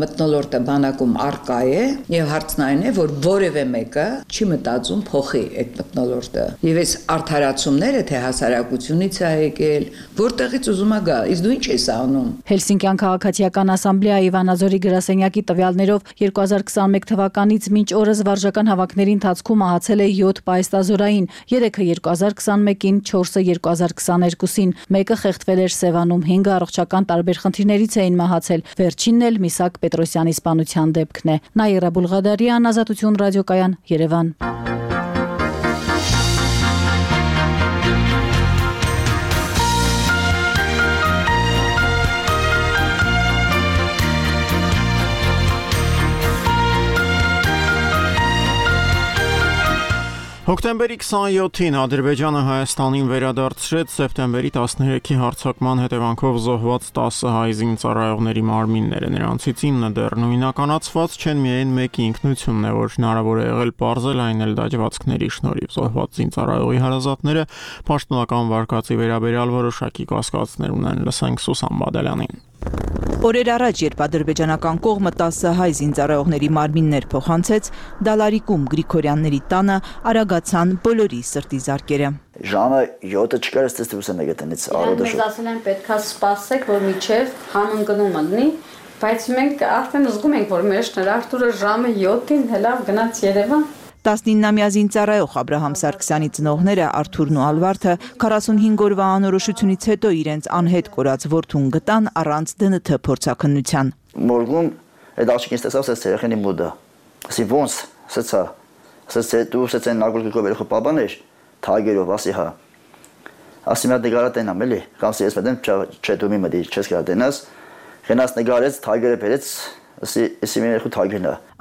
մթնոլորտը բանակում արկա է եւ հարցն այն է, որ որևէ մեկը չի մտածում փոխի այդ մթնոլորտը եւ այս արդարացումները թե հասարակությունից է եկել, որտեղից ուզում է գա, իսկ դու ինչ ես անում։ Հելսինկյան քաղաքացիական ասամբլեայի Վանաձորի գրասենյակի տվյալներով երկու հազար քսաներեք թվականից մինչ օրս վարժական հավաքների ընթացքում մահացել է յոթ պահեստազորային, երեքը երկու հազար քսաներեքին, չորսը երկու հազար քսաներկուսին, մեկը խեղդվել էր Սևանում, հինգը առողջական տարբեր խնդիրներից էին մահացել։ Վերջինն էլ Միսակ Պետրոսյանի սպանության դեպքն է։ Նաիրա Բուլղադարյան, Ազատություն ռադիոկայան, Երևան։ Հոկտեմբերի քսաներեքին Ադրբեջանը Հայաստանին վերադարձրեց սեպտեմբերի տասներեքի հարձակման հետևանքով զոհված տասը հայ զինծառայողների մարմինները, նրանցից ինը դեռ նույնականացված չեն, միայն մեկի ինքնությունն է, որ հնարավոր է եղել պարզել, այն էլ դաջվածքների շնորհիվ։ Զոհված զինծառայողի հարազատները պաշտոնական վարկածի վերաբերյալ որոշակի կասկածներ ունեն, լսենք Սուսան Բադալյանին։ Օրեր առաջ, երբ ադրբեջանական կողմը տասը հայ զինծառայողների մարմիններ փոխանցեց, Դալարիկում Գրիգորյանների տանը արագացան բոլորի սրտի զարկերը։ Ժամը յոթը չկար, ստեստրուսը մեկ տնից արոդը շուտ։ Մենք ասել են պետքա սպասեք, որ միջև համընկնում ըննի, բայց մենք արդեն զգում ենք, որ մեր շնորհարտուրը ժամը յոթին հելավ գնաց Երևան։ տասնինամյա զինծառայող Աբրահամ Սարգսյանի ծնողները Արթուրն ու Ալվարդը քառասունհինգ օրվա անորոշությունից հետո իրենց անհետ կորած որդուն գտան առանց դն թ փորձաքննության։ Մորգում այդ աշկին ստեսավ սա երեխանի մոդա։ Ասի ոնց, սա սա դու սա նագուլկով երեխա բաբաներ, թագերով ասի հա։ Ասի մա դեգարա տենամ էլի, կամ սես մտեմ չէ դու մի մտի չես կարա տենաս։ Գնաց նգարեց, թագերը բերեց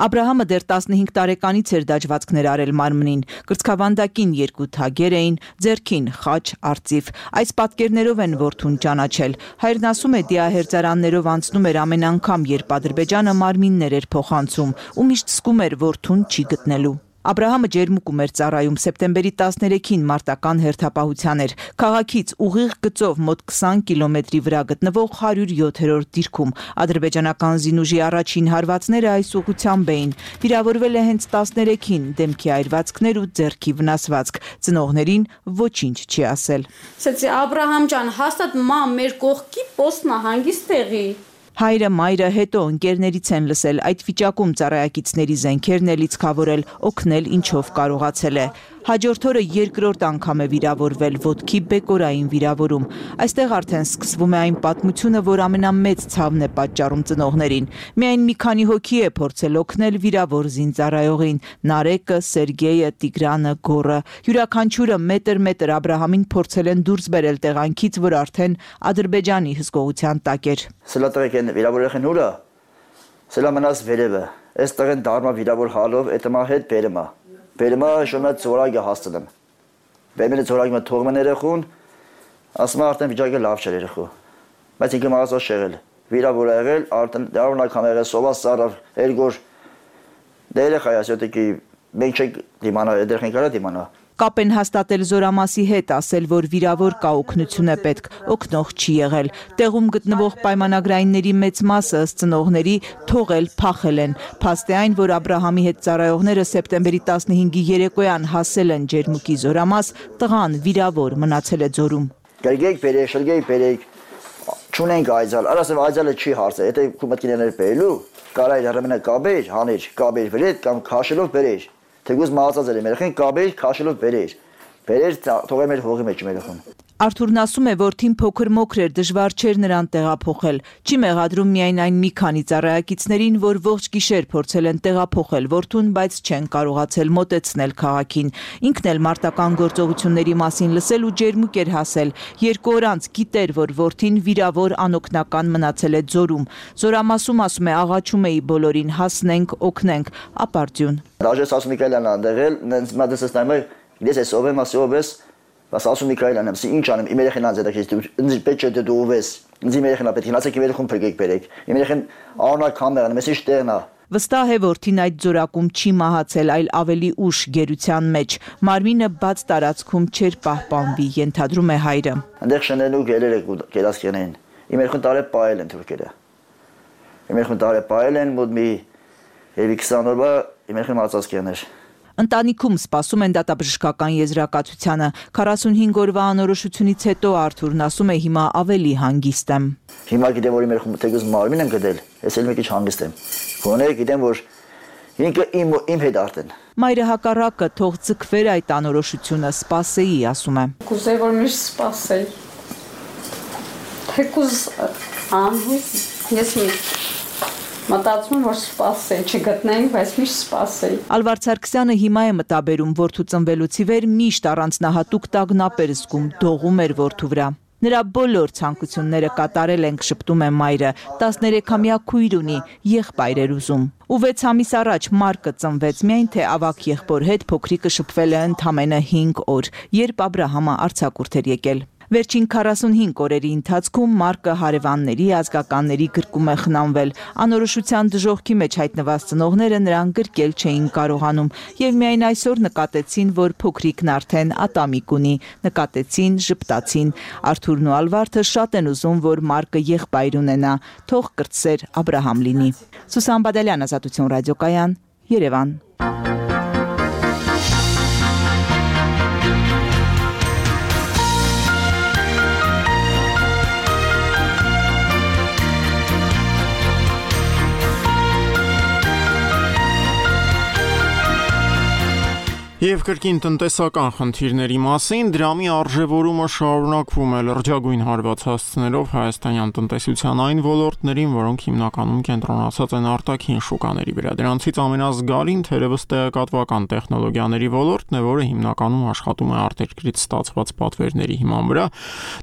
Աբրահամը դեռ տասնհինգ տարեկանից էր դաջվածքներ արել մարմնին, կրծքավանդակին երկու թագեր էին, ձեռքին խաչ, արծիվ։ Այս պատկերներով են որդուն ճանաչել։ Հայրն ասում է, դիահերձարաններով անցնում էր ամեն անգամ, երբ Ադրբեջանը մարմիններ էր փոխանցում, ու միշտ զգում էր որդուն չի գտնելու։ Աբրահամը ջերմուկում էր ծառայում, սեպտեմբերի տասներեքին մարտական հերթապահության էր, քաղաքից ուղիղ գծով մոտ քսան կիլոմետրի վրա գտնվող հարյուր յոթերորդ դիրքում։ Ադրբեջանական զինուժի առաջին հարվածները այս ուղղությամբ էին։ Վիրավորվել է հենց տասներեքին, դեմքի այրվածքներ ու ձեռքի վնասվածք։ Ծնողներին ոչինչ չի ասել։ Ասեցի Աբրահամ ջան, հաստատ մամ մեր կողքի պոստն հանգիստ տեղի։ Հայրը, մայրը, հետո ընկերներից են լսել, այդ վիճակում ծառայակիցների զենքերն է լիցքավորել, օգնել ինչով կարողացել է։ Հաջորդ օրը երկրորդ անգամ է վիրավորվել, ոտքի բեկորային վիրավորում։ Այստեղ արդեն սկսվում է այն պատմությունը, որ ամենամեծ ցավն է պատճառում ծնողներին։ Միայն մի քանի հոգի է փորձել օգնել վիրավոր զինծառայողին՝ Նարեկը, Սերգեյը, Տիգրանը, Գոռը։ Յուրաքանչյուրը մետր-մետր Աբրահամին փորձել են դուրս բերել տեղանքից, որ արդեն Ադրբեջանի հսկողության տակ էր։ Վիրավորեղեն ուրա, սելա մնաս վերևը, այս տղեն դարմա վիրավոր հալով, էտմա հետ բերմա, բերմա շոմա ծորագը հասցնեմ, բերմենը ծորագը թողմ են երեխուն, ասմա արդեն վիճակը լավ չեր երեխու, բայց ինքը մաղասա շեղել, վիրավոր եղել, արդեն դարվնակ համ եղել, սովաս սարավ, երգոր, դե երեխա ասյոտիկի, մենք չենք դիմանա, երեխեն կարա դիմանա, Կապ են հաստատել Զորամասի հետ, ասել, որ վիրավոր կա օգնություն է պետք, օգնող չի եղել։ Տեղում գտնվող պայմանագրայինների մեծ մասը ըստ ծնողների թողել, փախել են։ Փաստ է այն, որ Աբրահամի հետ ծառայողները սեպտեմբերի տասնհինգի երեկոյան հասել են Ջերմուկի Զորամաս, տղան վիրավոր մնացել է ձորում։ Գերգեք բերեք, շրջեք բերեք, չունենք այցալ, արասեմ այցալը չի հարցը, եթե կումտկիներներ բերելու, կարա իր հրմենը կաբեր, հաներ, կաբեր բերեք կամ քաշելով բերեր։ Թեգուզ մահացած էր երեխեն կաբեր քաշելով բերեր բերեր թողել մեր հողի մեջ մեր երեխան Արթուրն ասում է, որ թին փոքր մոքր էր, դժվար չէր նրան տեղափոխել։ Չի մեղադրում միայն այն մի քանի ծառայակիցներին, որ ողջ գիշեր փորձել են տեղափոխել որդուն, բայց չեն կարողացել մոտեցնել քաղաքին։ Ինքն էլ մարտական գործողությունների մասին լսել ու ջերմուկ էր հասել։ Երկու օր անց գիտեր, որ որդին վիրավոր անօգնական մնացել է ձորում։ Զորամասում ասում է, աղաչում էի բոլորին, հասնենք, օգնենք, ապարդյուն։ Ռաժես ասում Միքայելյանն անդեղել, նենց մատեսս նայում է, դες ես ով եմ, ասի ով ես Բայց ասում Միքայելյանն եմ, ինչ անեմ, իմ երեխան անձետակից, ինձ պետք չէ դու ով ես, ինձ իմ երեխան պետք է գնացեք իմ երեխուն փրկեք բերեք, իմ երեխան անունակ կամերան, մեզ ինչ տեղն է։ Վստահ է, որ թին այդ ձորակում չի մահացել, այլ ավելի ուշ գերության մեջ։ Մարմինը բաց տարածքում չէր պահպանվի, ենթադրում է հայրը։ Այնտեղ շնելու գերերը գերասկենեն։ Իմ երեխան տարե պայել են թուրքերը։ Իմ երեխան տարե պայել են, մոտ մի երևի քսան օրվա իմ երեխան մածածկերներ։ Ընտանիքում սպասում են դատաբժշկական եզրակացությանը։ քառասունհինգ օրվա անորոշությունից հետո Արթուրն ասում է, հիմա ավելի հանգիստ եմ։ Հիմա գիտեմ, որ իմ երեխան թեգուզ մարմին եմ գտել, ես էլ մի քիչ հանգիստ եմ։ Գոնե գիտեմ, որ ինքը իմ իմ հետ արդեն։ Մայրը հակառակը թող ձգվեր այդ անորոշությունը, սպասեի, ասում է։ Կուզեի, որ միշտ սպասեի։ Թեկուզ անհույս ես մի Մտածում որ սպասեի, չգտնեինք, բայց միշտ սպասեի։ Ալվարդ Սարգսյանը հիմա է մտաբերում, որդու ծնվելուց ի վեր միշտ առանձնահատուկ տագնապ էր զգում, դողում էր որդու վրա։ Նրա բոլոր ցանկությունները կատարել ենք, շփտում է մայրը, տասներեքամյա քույր ունի, եղբայր էր ուզում։ Ու վեց ամիս առաջ Մարկը ծնվեց, միայն թե ավակ եղբոր հետ փոքրիկը շփվել է ընդամենը հինգ օր, երբ Աբրահամը արձակուրդ էր եկել։ Վերջին քառասունհինգ օրերի ընթացքում Մարկը հարևանների, ազգականների գրկում է խնամվել։ Անորոշության դժոխքի մեջ հայտնված ծնողները նրան գրկել չէին կարողանում եւ միայն այսօր նկատեցին, որ փոքրիկն արդեն ատամիկ ունի, նկատեցին, ժպտացին։ Արթուրն ու Ալվարդը շատ են ուզում, որ Մարկը եղբայր ունենա, թող կրտսեր Աբրահամ լինի։ Սուսան Բադալյան, Ազատություն ռադիոկայան, Երևան։ Եվ կրկին տնտեսական խնդիրների մասին դրամի արժևորումը շարունակվում է լրջագույն հարված հասցնելով հայաստանյան տնտեսության այն ոլորտներին, որոնք հիմնականում կենտրոնացած են արտաքին շուկաների վրա։ Դրանցից ամենազգալին թերևս տեղեկատվական տեխնոլոգիաների ոլորտն է, որը հիմնականում աշխատում է արտերկրից ստացված պատվերների հիման վրա,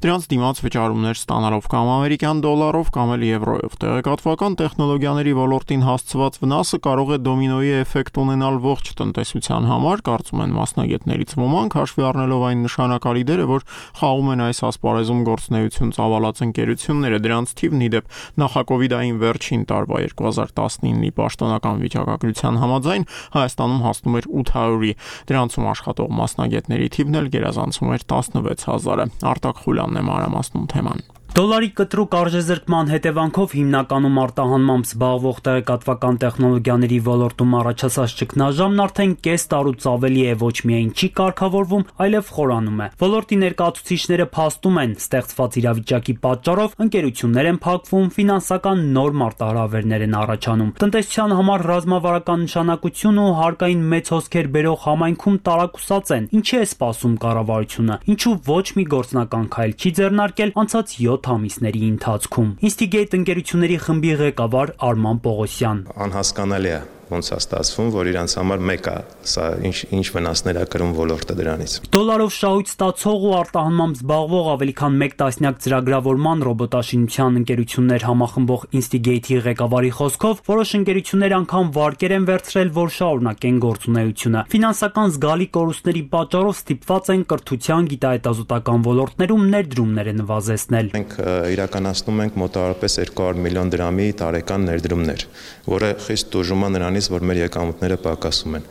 դրանց դիմաց վճարումներ ստանալով կամ ամերիկյան դոլարով կամ էլ եվրոյով։ Տեղեկատվական տեխնոլոգիաների ոլորտին հասցված վնասը կարող է դոմինոյի էֆեկտ ունենալ ողջ տնտեսության համար, կարծում են մասնագետներից ոմանք, հաշվի առնելով այն նշանակալի դերը, որ խաղում են այս ասպարեզում գործունեություն ծավալած ընկերությունները, դրանց թիվն ի դեպ նախակովիդային վերջին տարվա երկու հազար տասնինի պաշտոնական վիճակագրության համաձայն Հայաստանում հասնում էր ութ հարյուրի, դրանցում աշխատող մասնագետների թիվն էլ գերազանցում էր տասնվեց հազարը։ Արտակ Խուլյանն է մանրամասնում թեման։ Դոլարի կտրուկ արժեզրկման հետևանքով հիմնականում արտահանմամբ զբաղվող տեղեկատվական տեխնոլոգիաների ոլորտում առաջացած ճգնաժամն արդեն կես տարուց ավելի է ոչ միայն չի կարգավորվում, այլև խորանում է։ Ոլորտի ներկայացուցիչները փաստում են, ստեղծված իրավիճակի պատճառով ընկերություններ են փակվում, ֆինանսական նոր մարտահրավերներ են առաջանում։ Տնտեսության համար ռազմավարական նշանակություն ու հարկային մեծ հոսքեր բերող համայնքում տարակուսած են։ Ինչի է սպասում կառավարությունը։ Ինչու ոչ մի գործնական քայլ չի ձեռնարկել անցած յոթ ամիսների ընթացքում։ Instigate ընկերությունների խմբի ղեկավար Արման Պողոսյան։ Անհասկանալի է ոնց է ստացվում, որ իրանց համար մեկ է, սա ինչ ինչ վնասներ է կրում ոլորտը դրանից։ Դոլարով շահույթ ստացող ու արտահանմամբ զբաղվող ավելի քան մեկ տասնյակ ծրագրավորման ռոբոտաշինության ընկերություններ համախմբող Instigate-ի ղեկավարի խոսքով, որոշ ընկերություններ անգամ վարկեր են վերցրել, որ շարունակեն գործունեությունը։ Ֆինանսական զգալի կորուստների պատճառով ստիպված են կրթության, գիտահետազոտական ոլորտներում ներդրումները նվազեցնել։ Մենք իրականացնում ենք մոտավորապես երկու հարյուր միլիոն դրամի տարեկան ներդրումներ, որը խիստ տուժում է նրանից, որ մեր եկամուտները պակասում են։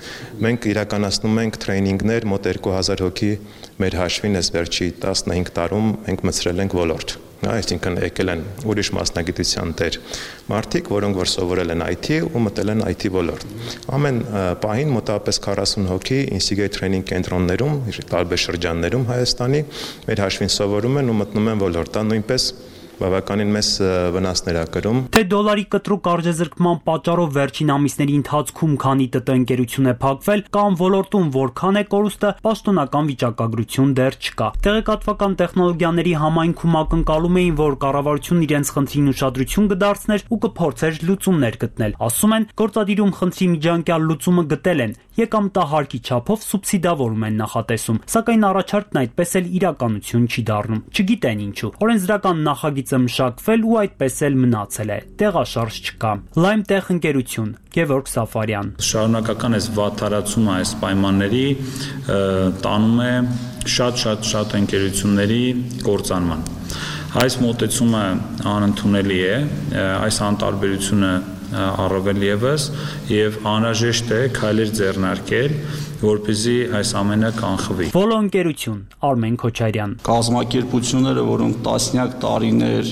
Մենք իրականացնում ենք թրեյնինգներ, մոտ երկու հազար հոգի մեր հաշվին էս վերջի տասնհինգ տարում մենք մտցրել ենք ոլորտ։ Այսինքն եկել են ուրիշ մասնագիտության տեր մարդիկ, որոնք որ սովորել են այ թի ու մտել են այ թի ոլորտ։ Ամեն պահին մոտավորապես քառասուն հոգի Instigate Training կենտրոններում, տարբեր շրջաններում Հայաստանի մեր հաշվին սովորում են ու մտնում են ոլորտ, նույնպես բավականին մեծ վնասներ ա կրում։ Թե դոլարի կտրուկ արժեզրկման պատճառով վերջին ամիսների ընթացքում քանի ՏՏ ընկերություն է փակվել, կամ ոլորտում որքան է կորուստը, պաշտոնական վիճակագրություն դեռ չկա։ Տեղեկատվական տեխնոլոգիաների համայնքում ակնկալում էին, որ կառավարությունն իրենց խնդրին ուշադրություն կդարձներ ու կփորձեր լուծումներ գտնել։ Ասում են, գործադիրում խնդրի միջանկյալ լուծումը գտել են, եկամտահարկի չափով սուբսիդավորում են նախատեսում, սակայն առաջարկն այդպես էլ իրականություն չի դառնում։ Չգիտեն ինչու։ Օրենսդրական նախագիծը մշակվել ու այդպես էլ մնացել է։ Տեղաշարժ չկա։ LimeTech ընկերություն, Գևորգ Սաֆարյան։ Շարունակական այս վատթարացումը այս պայմանների տանում է շատ-շատ շատ ընկերությունների կործանման։ Այս մոտեցումը անընդունելի է, այս անտարբերությունը առավել եւս եւ անհրաժեշտ է քայլեր ձեռնարկել, որպեսզի այս ամենը կանխվի։ Վոլո ընկերություն, Արմեն Քոչարյան։ Կազմակերպությունները, որոնք տասնյակ տարիներ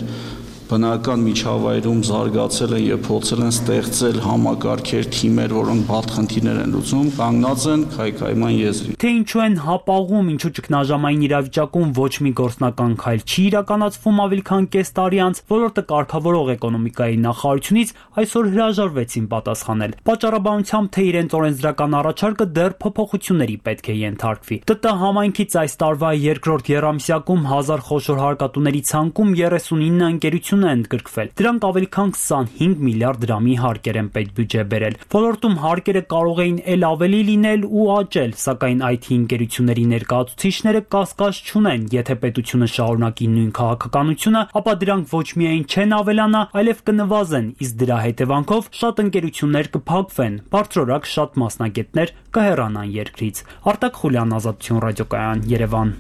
բնական միջավայրում զարգացել են եւ փորձել են ստեղծել համակարգեր, թիմեր, որոնք բաց խնդիրներ են լուծում, կանգնած են քայքայման եզրին։ Թե ինչու են հապաղում, ինչու ճգնաժամային իրավիճակում ոչ մի գործնական քայլ չի իրականացվում ավելի քան կես տարի անց, ոլորտը կարգավորող էկոնոմիկայի նախարարությունից այսօր հրաժարվեցին պատասխանել։ Պատճառաբանությամբ, թե իրենց օրենսդրական առաջարկը դեռ փոփոխությունների պետք է ենթարկվի։ ՏՏ համայնքից այս տարվա երկրորդ եռամսյակում հազար խոշոր հարկատուների ցանկում երեսունինը ընկերություն են ընդգրկվել։ Դրանք ավելի քան քսանհինգ միլիարդ դրամի հարկեր են պետբյուջե բերել։ Ոլորտում հարկերը կարող էին էլ ավելի լինել ու աճել, սակայն այ թի ընկերությունների ներկայացուցիչները կասկած չունեն, եթե պետությունը շարունակի նույն քաղաքականությունը, ապա դրանք ոչ միայն չեն ավելանա, այլև կնվազեն, իսկ դրա հետևանքով շատ ընկերություններ կփակվեն, բարձրորակ շատ մասնագետներ կհեռանան երկրից։ Արտակ Խուլյան, Ազատություն ռադիոկայան, Երևան։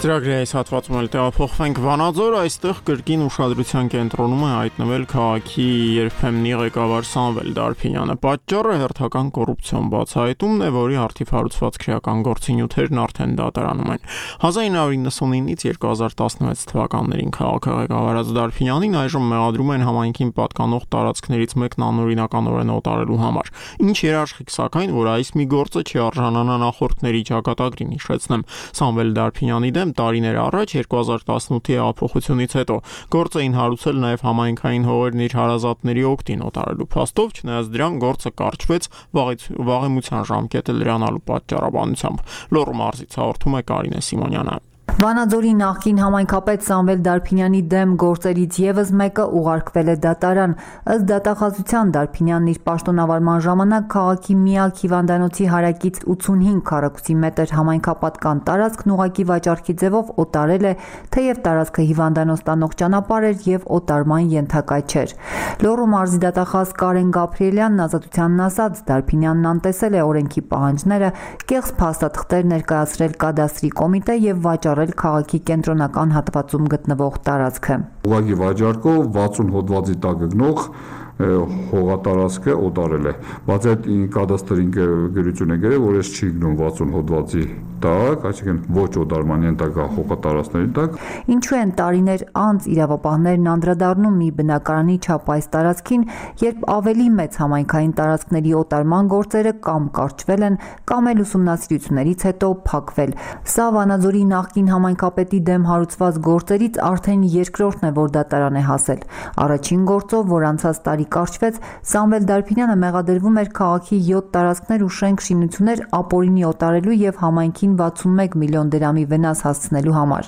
Ծրագրի այս հատվածում էլ տեղափոխվենք Վանաձոր, այստեղ կրկին ուշադրության կենտրոնում է հայտնվել քաղաքի երբեմնի ղեկավար Սամվել Դարփինյանը։ Պատճառը հերթական կոռուպցիոն բացահայտումն է, որի առթիվ հարուցված քրեական գործունեություններն արդեն դատարանում են։ հազար նույն հարյուր նվաթից երկու հազար տասնվեց թվականներին քաղաքը ղեկավարած Դարփինյանին այժմ մեղադրում են համայնքին պատկանող տարածքներից մեկն անօրինականորեն օտարելու համար։ Ինչ երաշխիք սակայն, որ այս մի գործը չի արժանանա նախորդների ճակատագրին, հիշեցնեմ, Սամվել Դարփինյանի դեմ տարիներ առաջ երկու հազար տասնութի հեղափոխությունից հետո գործ էին հարուցել նաև համայնքային հողերն իր հարազատների օգտին օտարելու փաստով, չնայած դրան գործը կարճվեց վաղեմության ժամկետը լրանալու պատճառաբանությամբ։ Լոռու մարզից հաղորդում է Կարինե Սիմոնյանը։ Վանաձորի նախկին համայնքապետ Սամվել Դարփինյանի դեմ գործերից եւս մեկը ուղարկվել է դատարան։ Ըստ դատախազության Դարփինյանն իր պաշտոնավարման ժամանակ քաղաքի միակ հիվանդանոցի հարակից ութսունհինգ քառակուսի մետր համայնքապատկան տարածքն ուղղակի վաճառքի ձևով օտարել է, թեև տարածքը հիվանդանոց տանող ճանապարհ էր եւ օտարման ենթակա չէր։ Լոռու մարզի դատախազ Կարեն Գաբրիելյանն ազատությանն ասաց, Դարփինյանն անտեսել է օրենքի պահանջները, կեղծ փաստաթղթեր ներկայացրել կադաստրի կոմիտե եւ վաճառել քաղաքի կենտրոնական հատվածում գտնվող տարածքը։ Ուղղակի վաճառքով վաթսուն հոդվածի տակ գնող հողատարածքը օտարել է։ Բայց այդ կադաստրի ընկերությունը գրել, որ ես չի գնում վաթսուն հոդվածի տակ, այսինքն ոչ օտարման ենթակա հողատարածքների տակ։ Ինչու են տարիներ անց իրավապահներն անդրադառնում մի բնակարանի չափ այս տարածքին, երբ ավելի մեծ համայնքային տարածքների օտարման գործերը կամ կարճվել են, կամ էլ ուսումնասիրություններից հետո փակվել։ Սա Վանաձորի նախկին համայնքապետի դեմ հարուցված գործերից արդեն երկրորդն է, որ դատարան է հասել։ Առաջին գործով, որ անցած տարի կարճվեց, Սամվել Դարփինյանը մեղադրվում էր քաղաքի յոթ տարածքներ ու շենք շինություններ ապօրինի օտարելու եւ համայնքին վաթսունմեկ միլիոն դրամի վնաս հասցնելու համար։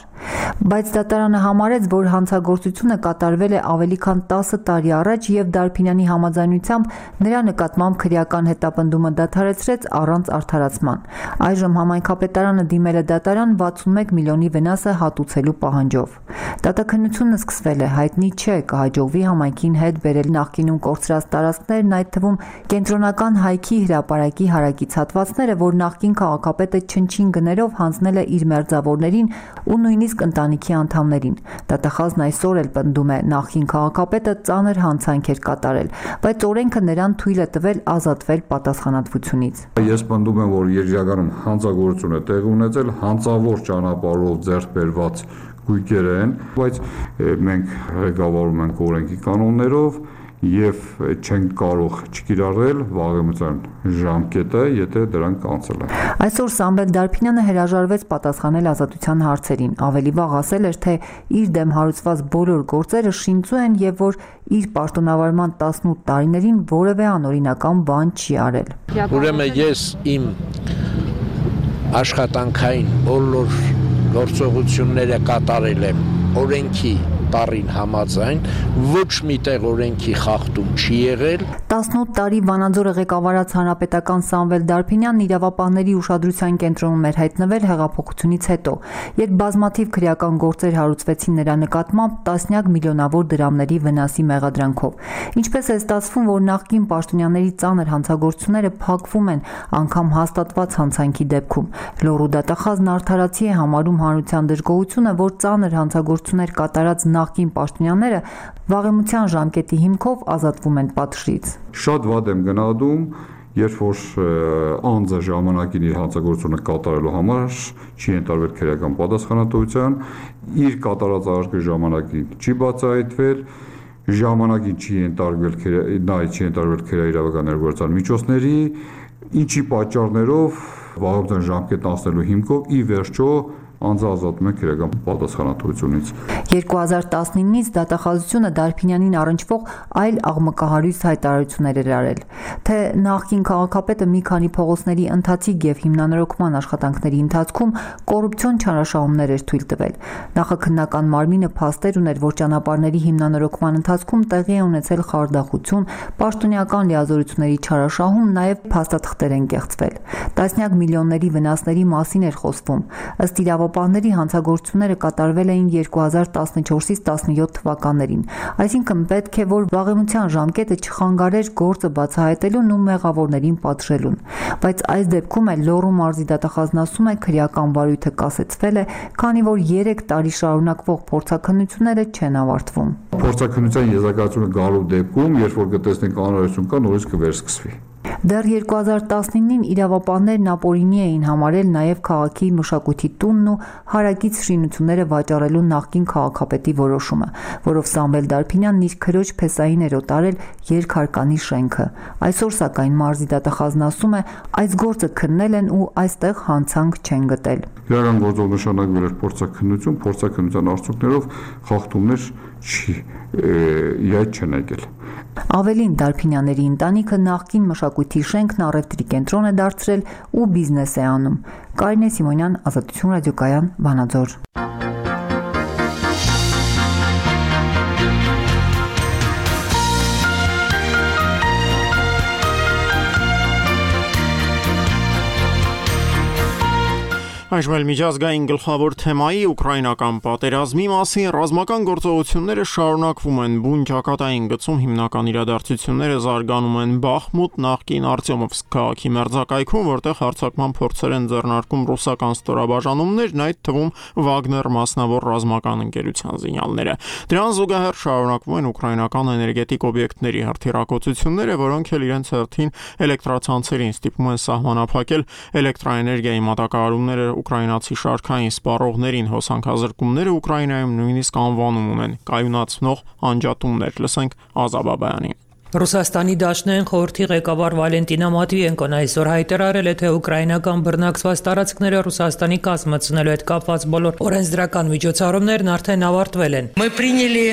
Բայց դատարանը համարեց, որ հանցագործությունը կատարվել է ավելի քան տասը տարի առաջ եւ Դարփինյանի համաձայնությամբ նրա նկատմամբ քրեական հետապնդումը դադարեցրեց առանց արդարացման։ Այժմ համայնքապետարանը դիմել է դատարան վաթսունմեկ միլիոնի վնասը հատուցելու պահանջով։ Դատաքննությունը սկսվել է, հայտնի չէ կհաջողվի համայնքին հետ բերել նախկինում կորցրած տարածքներն, այդ թվում կենտրոնական հայքի հրապարակի հարակից հատվածները, որ նախկին քաղաքապետը չնչին գներով հանձնել է իր մերձավորներին ու նույնիսկ ընտանիքի անդամներին։ Դատախազն այսօր էլ պնդում է, նախկին քաղաքապետը ծանր հանցանք էր կատարել, բայց օրենքը նրան թույլ է տվել ազատվել պատասխանատվությունից։ Ես պնդում եմ, որ իրականում հանցագործություն է տեղի ունեցել հանցավոր ճանապարհով ձեռք բերված գույքեր են, բայց մենք ղեկավարում ենք օրենքի կանոններով եւ չենք կարող չկիրառել վաղեմության ժամկետը, եթե դրանք անցել են։ Այսօր Սամվել Դարփինյանը հրաժարվեց պատասխանել ազատության հարցերին։ Ավելի վաղ ասել էր, թե իր դեմ հարուցված բոլոր գործերը շինծու են եւ որ իր պաշտոնավարման տասնութ տարիներին որևէ անօրինական բան չի արել։ Ուրեմն ես իմ աշխատանքային բոլոր գործողությունները կատարել եմ օրենքի տարին համաձայն, ոչ մի տեղ օրենքի խախտում չի եղել։ տասնութ տարի Վանաձորը ղեկավարած հանրապետական Սամվել Դարփինյանն իրավապահների ուշադրության կենտրոնում էր հայտնվել հեղափոխությունից հետո, երբ բազմաթիվ քրեական գործեր հարուցվեցին նրա նկատմամբ տասնյակ միլիոնավոր դրամների վնասի մեղադրանքով։ Ինչպես է ստացվում, որ նախկին պաշտոնյաների ծանր հանցագործությունները փակվում են անգամ հաստատված հանցանքի դեպքում։ Լոռու դատախազն արդարացի է համարում հանրության դժգոհությունը, որ ծանր հանցագործություններ կատարած նախկին պաշտոնյաները վաղեմության ժամկետի հիմքով ազատվում են պատժից։ Շատ վատ եմ գնահատում, երբ որ անձը ժամանակին իր հանցագործությունը կատարելու համար չի ընտրվել քրեական պատասխանատվության, իր կատարած արկի ժամանակին չի բացահայտվել, ժամանակին չի ընտրվել նա չի ընտրվել քրեական ներգործական միջոցների, ինչի պատճառներով վաղեմության ժամկետն անցնելու հիմքով ի վերջո անձը ազատում է քրեական պատասխանատվությունից։ երկու հազար տասնինից դատախազությունը Դարփինյանին առնչվող այլ աղմկահարույց հայտարարություններ էր արել, թե նախկին քաղաքապետը մի քանի փողոցների ընթացիկ եւ հիմնանորոգման աշխատանքների ընթացքում կոռուպցիոն չարաշահումներ էր թույլ տվել։ Նախաքննական մարմինը փաստեր ուներ, որ ճանապարհների հիմնանորոգման ընթացքում տեղի է ունեցել խարդախություն, պաշտոնյական լիազորությունների չարաշահում, նաեւ փաստաթղթեր են կեղծվել։ Տասնյակ միլիոնների վնասների մասին էր խոսվում։ Ըստ իրավապահ իրավապահների հանցագործությունները կատարվել էին երկու հազար տասնչորսից տասնյոթ թվականներին, այսինքն պետք է, որ վաղեմության ժամկետը չխանգարեր գործը բացահայտելուն ու մեղավորներին պատժելուն, բայց այս դեպքում էլ Լոռու մարզի դատախազն ասում է քրեական վարույթը կասեցվել է, քանի որ երեք տարի շարունակվող փորձաքննությունները չեն ավարտվում։ Փորձաքննության եզրակացությունը գալու դեպքում, երբ որ կտեսնենք անհրաժեշտություն կա, նորից կվերսկսվի։ Դեռ երկու հազար տասնինին իրավապահներն ապօրինի էին համարել նաև քաղաքի մշակույթի տունն ու հարակից շինությունները վաճառելու նախկին քաղաքապետի որոշումը, որով Սամվել Դարփինյանն իր քրոջ փեսային էր օտարել երկհարկանի շենքը։ Այսօր սակայն մարզի դատախազն ասում է, այս գործը քննել են ու այստեղ հանցանք չեն գտել։ Իրական գործով նշանակվել էր փորձաքննություն, փորձաքննության արդյունքներով խախտումներ չի իհայտ չեն եկել։ Ավելին, Դարփինյանների ընտանիքը նախկին մշակույթի շենքն առևտրի կենտրոն է դարձրել ու բիզնես է անում։ Կարինե Սիմոնյան, Ազատություն ռադիոկայան, Վանաձոր։ Այժմ էլ միջազգային գլխավոր թեմայի ուկրաինական պատերազմի մասին ռազմական գործողությունները շարունակվում են բուն ճակատային գծում հիմնական իրադարձությունները զարգանում են Բախմուտ նախկին Արտյոմովսկ քաղաքի մերձակայքում, որտեղ հարձակման փորձեր են ձեռնարկում ռուսական ստորաբաժանումներն, այդ թվում Վագներ մասնավոր ռազմական ընկերության զինյալները։ Դրան զուգահեռ շարունակվում են ուկրաինական էներգետիկ օբյեկտների հրթիռակոծությունները, որոնք էլ իրենց հերթին էլեկտրացանցերին ստիպում են սահմանափակել էլեկտրաէներգիայի մատակարարումները ուկրաինացի շարքային սպառողներին, հոսանքազրկումները Ուկրաինայում նույնիսկ անվանում ունեն կայունացնող անջատումներ։ Լսենք Ազաբաբայանին։ Ռուսաստանի Դաշնային խորհրդի ղեկավար Վալենտինա Մատվիենկոն այսօր հայտարարել է, թե ուկրաինական բռնակցված տարածքները Ռուսաստանի կազմացնելու հետ կապված բոլոր օրենսդրական միջոցառումներն արդեն ավարտվել են։ Мы приняли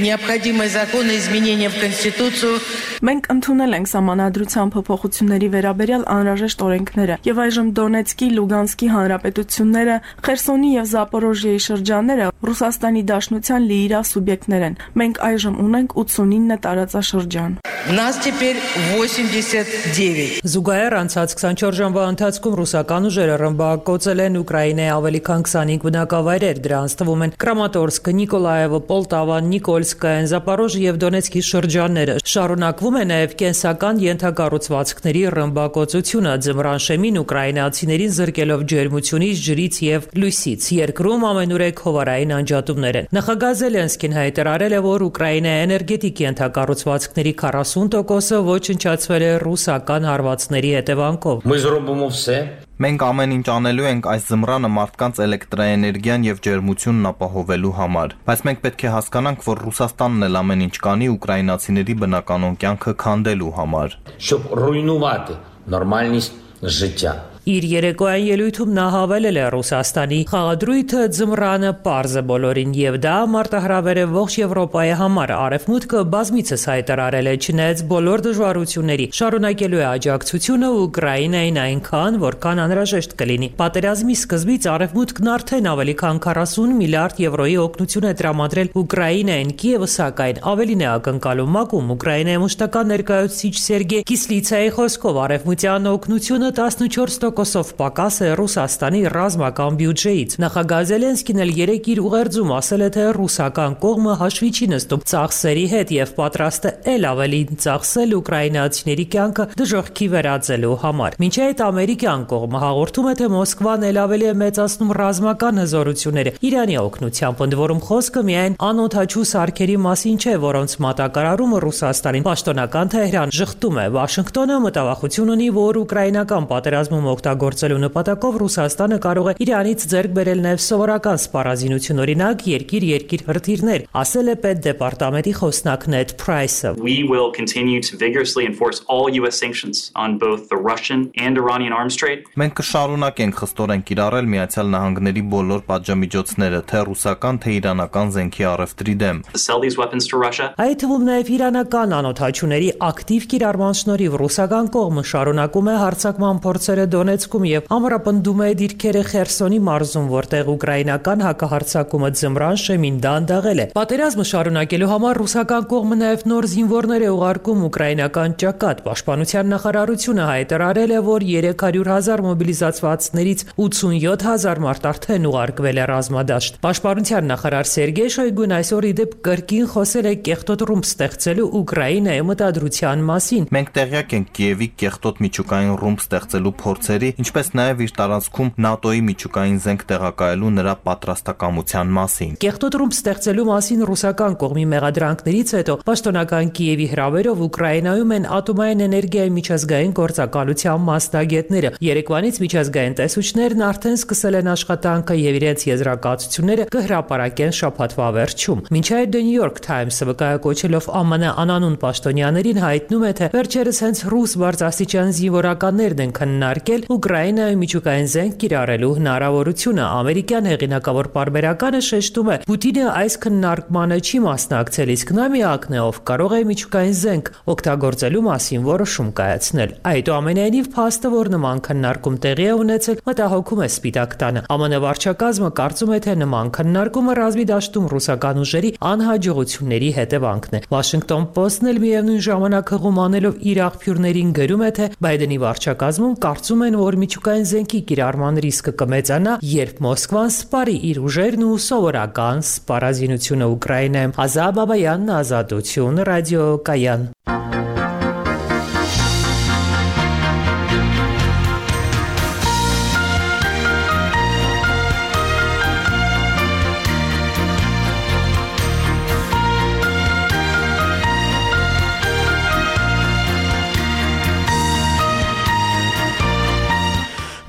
необходимые законы изменения в Конституцию. Մենք ընդունել ենք սահմանադրության փոփոխությունների վերաբերյալ անհրաժեշտ օրենքները եւ այժմ Դոնեցկի, Լուգանսկի հանրապետությունները, Խերսոնի եւ Զապորոժիեի շրջանները Ռուսաստանի Դաշնության լիիրավ սուբյեկտներ են։ Մենք այժմ ունենք ութսունինը տարածաշրջան։ Нас теперь восемьдесят девять. Զուգահեռ անցած քսանչորս ժամվա ընթացքում ռուսական ուժերը ռմբակոծել են Ուկրաինայի ավելի քան քսանհինգ բնակավայրեր, դրանց թվում են Կրամատորսկը, Նիկոլաևը, Պոլտավա, Նիկոլսկը, Զապորոժիե եւ Դոնեցկի շրջանները։ Շարունակվում է նաև կենսական ենթակառուցվածքների ռմբակոծությունը, ձմռան շեմին ուկրաինացիներին զրկելով ջերմությունից, ջրից եւ լույսից։ Երկրում ամենուրեք հովարային անջատումներ են։ Նախագահ Զելենսկին հայտարարել է, որ Ուկրաինայի էներգետիկ ենթակառուցվածքների քառասուն տոկոսը ոչնչացվել է ռուսական հարվածների հետևանքով։ Мы зробимо все. Մենք ամեն ինչ անելու ենք այս զմռանը մարդկանց էլեկտրաէներգիան եւ ջերմությունն ապահովելու համար, բայց մենք պետք է հասկանանք, որ Ռուսաստանն էլ ամեն ինչ կանի ուկրաինացիների բնականոն կյանքը քանդելու համար։ Щоб руйнувати нормальність життя. Իր երեկոյան ելույթում նա հավելել է Ռուսաստանի խաղադրույթը ձմռանը պարզ է բոլորին եւ դա մարտահրավեր է ողջ Եվրոպայի համար։ Արևմուտքը բազմիցս հայտարարել է, չնայած բոլոր դժվարությունների, շարունակելու է աջակցությունը Ուկրաինային այնքան, որքան անհրաժեշտ կլինի։ Պատերազմի սկզբից Արևմուտքն արդեն ավելի քան քառասուն միլիարդ եվրոյի օգնություն է տրամադրել Ուկրաինային, Կիևը սակայն ավելին է ակնկալում ՄԱԿ-ում։ Ուկրաինայի մշտական ներկայացուցիչ Սերգեյ Կիսլիցայի խոսքով արևմտյան օգնությունը տասնչորս տոկոսով պակաս է Ռուսաստանի ռազմական բյուջեից։ Նախագահ Զելենսկին էլ երեկ իր ուղերձում ասել է, թե ռուսական կողմը հաշվի չի նստում ծախսերի հետ եւ պատրաստ է ել ավելին ծախսել ուկրաինացիների կյանքը դժոխքի վերածելու համար։ Մինչ այդ ամերիկյան կողմը հաղորդում է, թե Մոսկվան ել ավելի է մեծացնում ռազմական հզորությունները Իրանի օգնությամբ, ընդ որում խոսքը միայն անօդաչու սարքերի մասին չէ, որոնց մատակարարումը Ռուսաստանին պաշտոնական Թեհրան ժխտում է։ Վաշինգտոնը մտավախություն ունի, որ ուկրաինական պատերազմում օգտագործելու նպատակով Ռուսաստանը կարող է Իրանից ձեռք բերել նաև սովորական սպառազինություն, օրինակ երկիր-երկիր հրթիռներ, ասել է Պետդեպարտամենտի խոսնակ Նեդ Փրայսը։ We will continue to vigorously enforce all U S sanctions on both the Russian and Iranian arms trade. Մենք կշարունակենք խստորեն կիրառել Միացյալ Նահանգների բոլոր պատժամիջոցները, թե ռուսական, թե իրանական զենքի առևտրի դեմ։ Sell these weapons to Russia. Այդ թվում նաև իրանական անօդաչուների ակտիվ կիրառման շնորհիվ ռուսական կողմը շարունակում է հարձակման փորձերը Դոնեցկում եւ ամրապնդում է դիրքերը Խերսոնի մարզում, որտեղ ուկրաինական հակահարձակումը ձմռան շեմին դանդաղել է։ Պատերազմը շարունակելու համար ռուսական կողմը նաեւ նոր զինվորներ է ուղարկում ուկրաինական ճակատ։ Պաշտպանության նախարարությունը հայտարարել է, որ երեք հարյուր հազար մոբիլիզացվածներից ութսունյոթ հազար մարդ արդեն ուղարկվել է ռազմադաշտ։ Պաշտպանության նախարար Սերգեյ Շոյգուն այսօր իդեպ կրկին խոսել է կեղտոտ ռումբ ստեղծելու Ուկրաինայի մտադրության մասին։ Մենք տեղյակ ենք Կիևի կեղտոտ միջուկային ռումբ ստեղծելու փորձերի, ինչպես նաև իր տարածքում ՆԱՏՕ-ի միջուկային զենք տեղակայելու նրա պատրաստակամության մասին։ Կեղտոտ ռումբ ստեղծելու մասին ռուսական կողմի մեղադրանքներից հետո պաշտոնական Կիևի հրավերով Ուկրաինայում են ատոմային էներգիայի միջազգային գործակալության մասնագետները։ Երեկվանից միջազգային տեսուչներն արդեն սկսել են աշխատանքը եւ իրենց եզրակացությունները կհրապարակեն շաբաթվա վերջում։ Մինչ այդ The New York Times-ը վկայակոչելով ԱՄՆ անանուն պաշտոնյաներին հայտնում է, թե վերջերս հենց ռուս բարձրաստիճան զինվորականներն են քննարկել Ուկրաինայում միջուկային զենք կիրառելու հնարավորությունը։ Ամերիկյան հեղինակավոր պարբերականը շեշտում է, Պուտինը այս քննարկմանը չի մասնակցել, իսկ նա միակն է, ով կարող է միջուկային զենք օգտագործելու մասին որոշում կայացնել։ Այդուամենայնիվ, փաստը, որ նման քննարկում տեղի է ունեցել, մտահոգում է Սպիտակ տանը։ ԱՄՆ վարչակազմը կարծում է, թե նման քննարկումը ռազմի դաշտում ռուսական ուժերի անհաջողությունների հետևանքն է։ Washington Post-ն էլ միևնույն ժամանակ հղում անելով իր աղբյուրներին գրում է, թե Բայդենի վարչակազմում կարծում են, որ միջուկային զենքի կիրառման ռիսկը կմեծանա, երբ Մոսկվան սպարի իր ուժերն ու սովորական սպառազինությունը Ուկրաինայում։ Ազա Բաբայանն, Ազատություն, ռադիոկայան։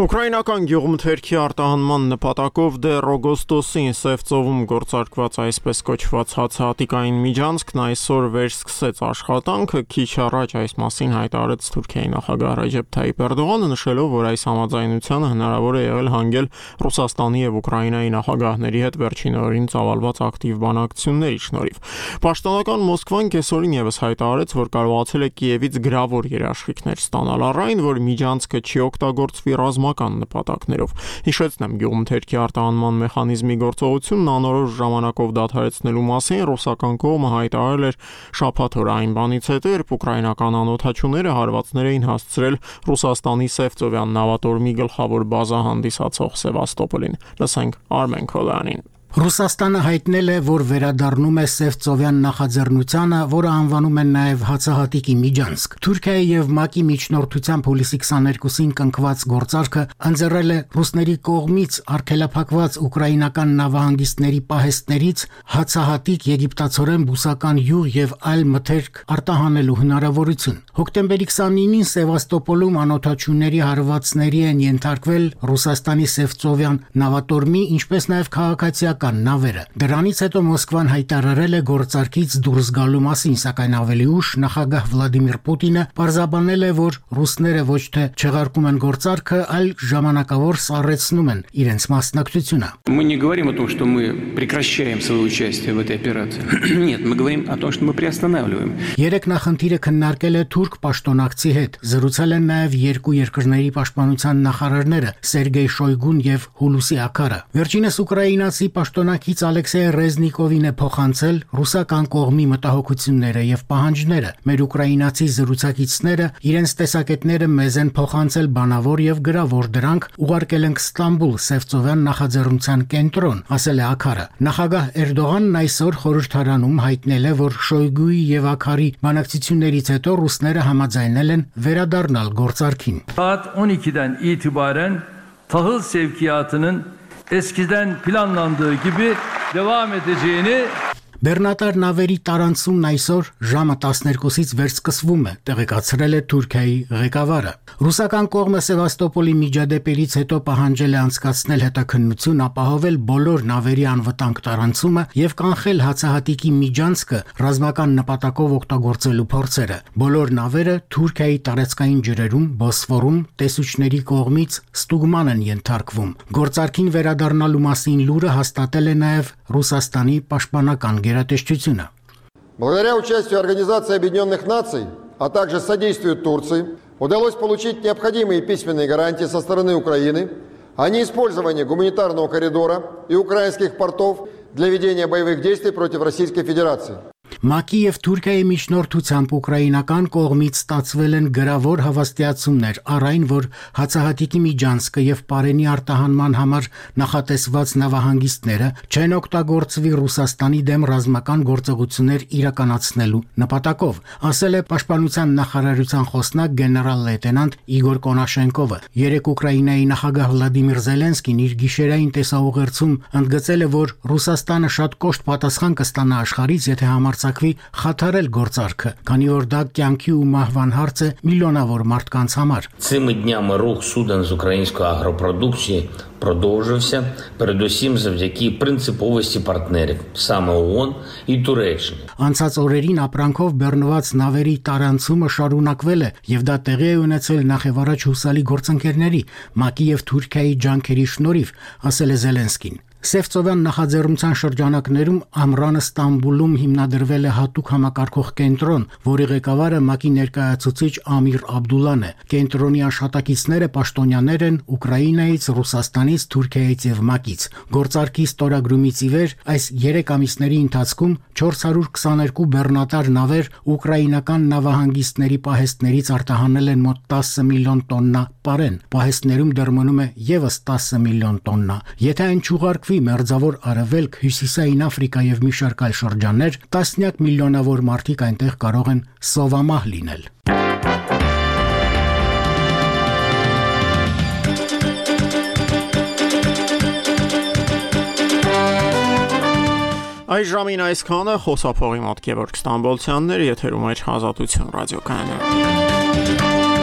Ուկրաինական գյուղմթերքի արտահանման նպատակով դեռ օգոստոսին Սև ծովում գործարկված այսպես կոչված հացահատիկային միջանցքն այսօր վերսկսեց աշխատանքը, քիչ առաջ այս մասին հայտարարեց Թուրքիայի նախագահ Ռեջեփ Թայիփ Էրդողանը, նշելով, որ այս համաձայնությանը հնարավոր է եղել հանգել Ռուսաստանի եւ Ուկրաինայի նախագահների հետ վերջին օրերին ծավալված ակտիվ բանակցությունների շնորհիվ։ Պաշտոնական Մոսկվան կեսօրին եւս հայտարարեց, որ կարողացել է Կիևից գրավոր երաշխիքներ ստանալ առայն, որ միջանցքը չի օգտագործվի ռազմական նպատակներով։ Հիշեցնեմ, գյուղմթերքի արտահանման մեխանիզմի գործողությունն անորոշ ժամանակով դադարեցնելու մասին ռուսական կողմը հայտարարել էր շաբաթ օրը այն բանից հետո, երբ ուկրաինական անօդաչուները հարվածներ էին հասցրել Ռուսաստանի Սևծովյան նավատորմի գլխավոր բազա հանդիսացող Սևաստոպոլին։ Լսենք Արմեն Քոլյանին։ Ռուսաստանը հայտնել է, որ վերադառնում է Սևծովյան նախաձեռնությանը, որը անվանում են նաև հացահատիկի միջանցք։ Թուրքիայի եւ ՄԱԿ-ի միջնորդությամբ հուլիսի քսաներկուսին կնքված գործարքը ընձեռել է ռուսների կողմից արգելափակված ուկրաինական նավահանգիստների պահեստներից հացահատիկ, եգիպտացորեն բուսական յուղ եւ այլ մթերք արտահանելու հնարավորություն։ Հոկտեմբերի քսանինին Սևաստոպոլում անօդաչուների հարվածների են ենթարկվել Ռուսաստանի Սևծովյան նավատորմի, ինչպես նաև քաղաքացիական նավերը։ Դրանից հետո Մոսկվան հայտարարել է գործարքից դուրս գալու մասին, սակայն ավելի ուշ նախագահ Վլադիմիր Պուտինը պարզաբանել է, որ ռուսները ոչ թե չեղարկում են գործարքը, այլ ժամանակավոր սառեցնում են իրենց մասնակցությունը։ Мы не говорим о том, что мы прекращаем свое участие в этой операции. Нет, мы говорим о том, что мы приостанавливаем. Երեք նախնդիրը քննարկել է թուրք պաշտոնակցի հետ։ Զրուցել են նաև երկու երկրների պաշտպանության նախարարները Սերգեյ Շոյգուն եւ Հուլուսի Աքարը։ Վերջինս ուկրաինացի պաշտոնակից Ալեքսեյ Ռեզնիկովին է փոխանցել ռուսական կողմի մտահոգությունները եւ պահանջները։ Մեր ուկրաինացի զրուցակիցները իրենց տեսակետները մեզ են փոխանցել բանավոր եւ գրավոր, դրանք ուղարկել ենք Ստամբուլ Սևծովյան նախաձեռնության կենտրոն, ասել է Աքարը։ Նախագահ Էրդողանն այսօր խորհրդարանում հայտնել է, որ Շոյգուի եւ Աքարի բանակցություններից հետո ռուսները համաձայնել են վերադառնալ գործարքին։ Saat on iki'den itibaren tahıl sevkiyatının eskiden planlandığı gibi devam edeceğini Բեռնատար նավերի տարանցումն այսօր ժամը տասներկուսից վերսկսվում է, տեղեկացրել է Թուրքիայի ղեկավարը։ Ռուսական կողմը Սևաստոպոլի միջադեպերից հետո պահանջել է անցկացնել հետաքննություն, ապահովել բոլոր նավերի անվտանգ տարանցումը եւ կանխել հացահատիկի միջանցքը ռազմական նպատակով օգտագործելու փորձերը։ Բոլոր նավերը Թուրքիայի տարածքային ջրերում, Բոսֆորում տեսուչների կողմից ստուգման են ենթարկվում։ Գործարքին վերադառնալու մասին լուրը հաստատել է նաեւ Ռուսաստանի պաշտպանական Благодаря участию Организации Объединенных Наций, а также содействию Турции, Удалось получить необходимые письменные гарантии со стороны Украины о неиспользовании гуманитарного коридора и украинских портов для ведения боевых действий против Российской Федерации. ՄԱԿ-ի եւ Թուրքիայի միջնորդությամբ ուկրաինական կողմից ստացվել են գրավոր հավաստիացումներ առ այն, որ հացահատիկի միջանցքը եւ Պարենի արտահանման համար նախատեսված նավահանգիստները չեն օգտագործվի Ռուսաստանի դեմ ռազմական գործողություններ իրականացնելու նպատակով, ասել է Պաշտպանության նախարարության խոսնակ գեներալ-լեյտենանտ Իգոր Կոնաշենկովը։ Երեկ Ուկրաինայի նախագահ Վլադիմիր Զելենսկին իր գիշերային տեսաուղերձում ընդգծել է, որ Ռուսաստանը շատ կոշտ պատասխան կստանա աշխարհից, եթե համարձակվի խաթարել գործարքը, քանի որ դա կյանքի ու մահվան հարց է միլիոնավոր մարդկանց համար։ Цими днями рух суден з української агропродукції продовжився, передусім завдяки принциповості партнерів, саме ООН і Туреччини. Անցած օրերին ապրանքով բեռնված նավերի տարանցումը շարունակվել է, եւ դա տեղի է ունեցել նախևառաջ հուսալի գործընկերների ՄԱԿ-ի եւ Թուրքիայի ջանքերի շնորհիվ, ասել է Զելենսկին։ Սևծովյան նախաձեռնության շրջանակներում Ամրանը Ստամբուլում հիմնադրվել է հատուկ համակարգող կենտրոն, որի ղեկավարը ՄԱԿ-ի ներկայացուցիչ Ամիր Աբդուլլան է։ Կենտրոնի աշխատակիցները պաշտոնյաներ են Ուկրաինայից, Ռուսաստանից, Թուրքիայից եւ ՄԱԿ-ից։ Գործարքի ստորագրումից ի վեր այս երեք ամիսների ընթացքում չորս հարյուր քսաներկու բեռնատար նավեր ուկրաինական նավահանգիստների պահեստներից արտահանել են մոտ տասը միլիոն տոննա պարեն։ Պահեստներում դեռ մնում է եւս տասը միլիոն տոննա։ Եթե այն չուղարկվի Մերձավոր Արևելք, Հյուսիսային Աֆրիկա եւ մի շարք այլ շրջաններ, տասնյակ միլիոնավոր մարդիկ այնտեղ կարող են սովամահ լինել։ Այս ժամին այսքանը խոսափողի մոտ Գևորգ Ստամբոլցյանն էր, եթերում էր Ազատություն ռադիոկայանը։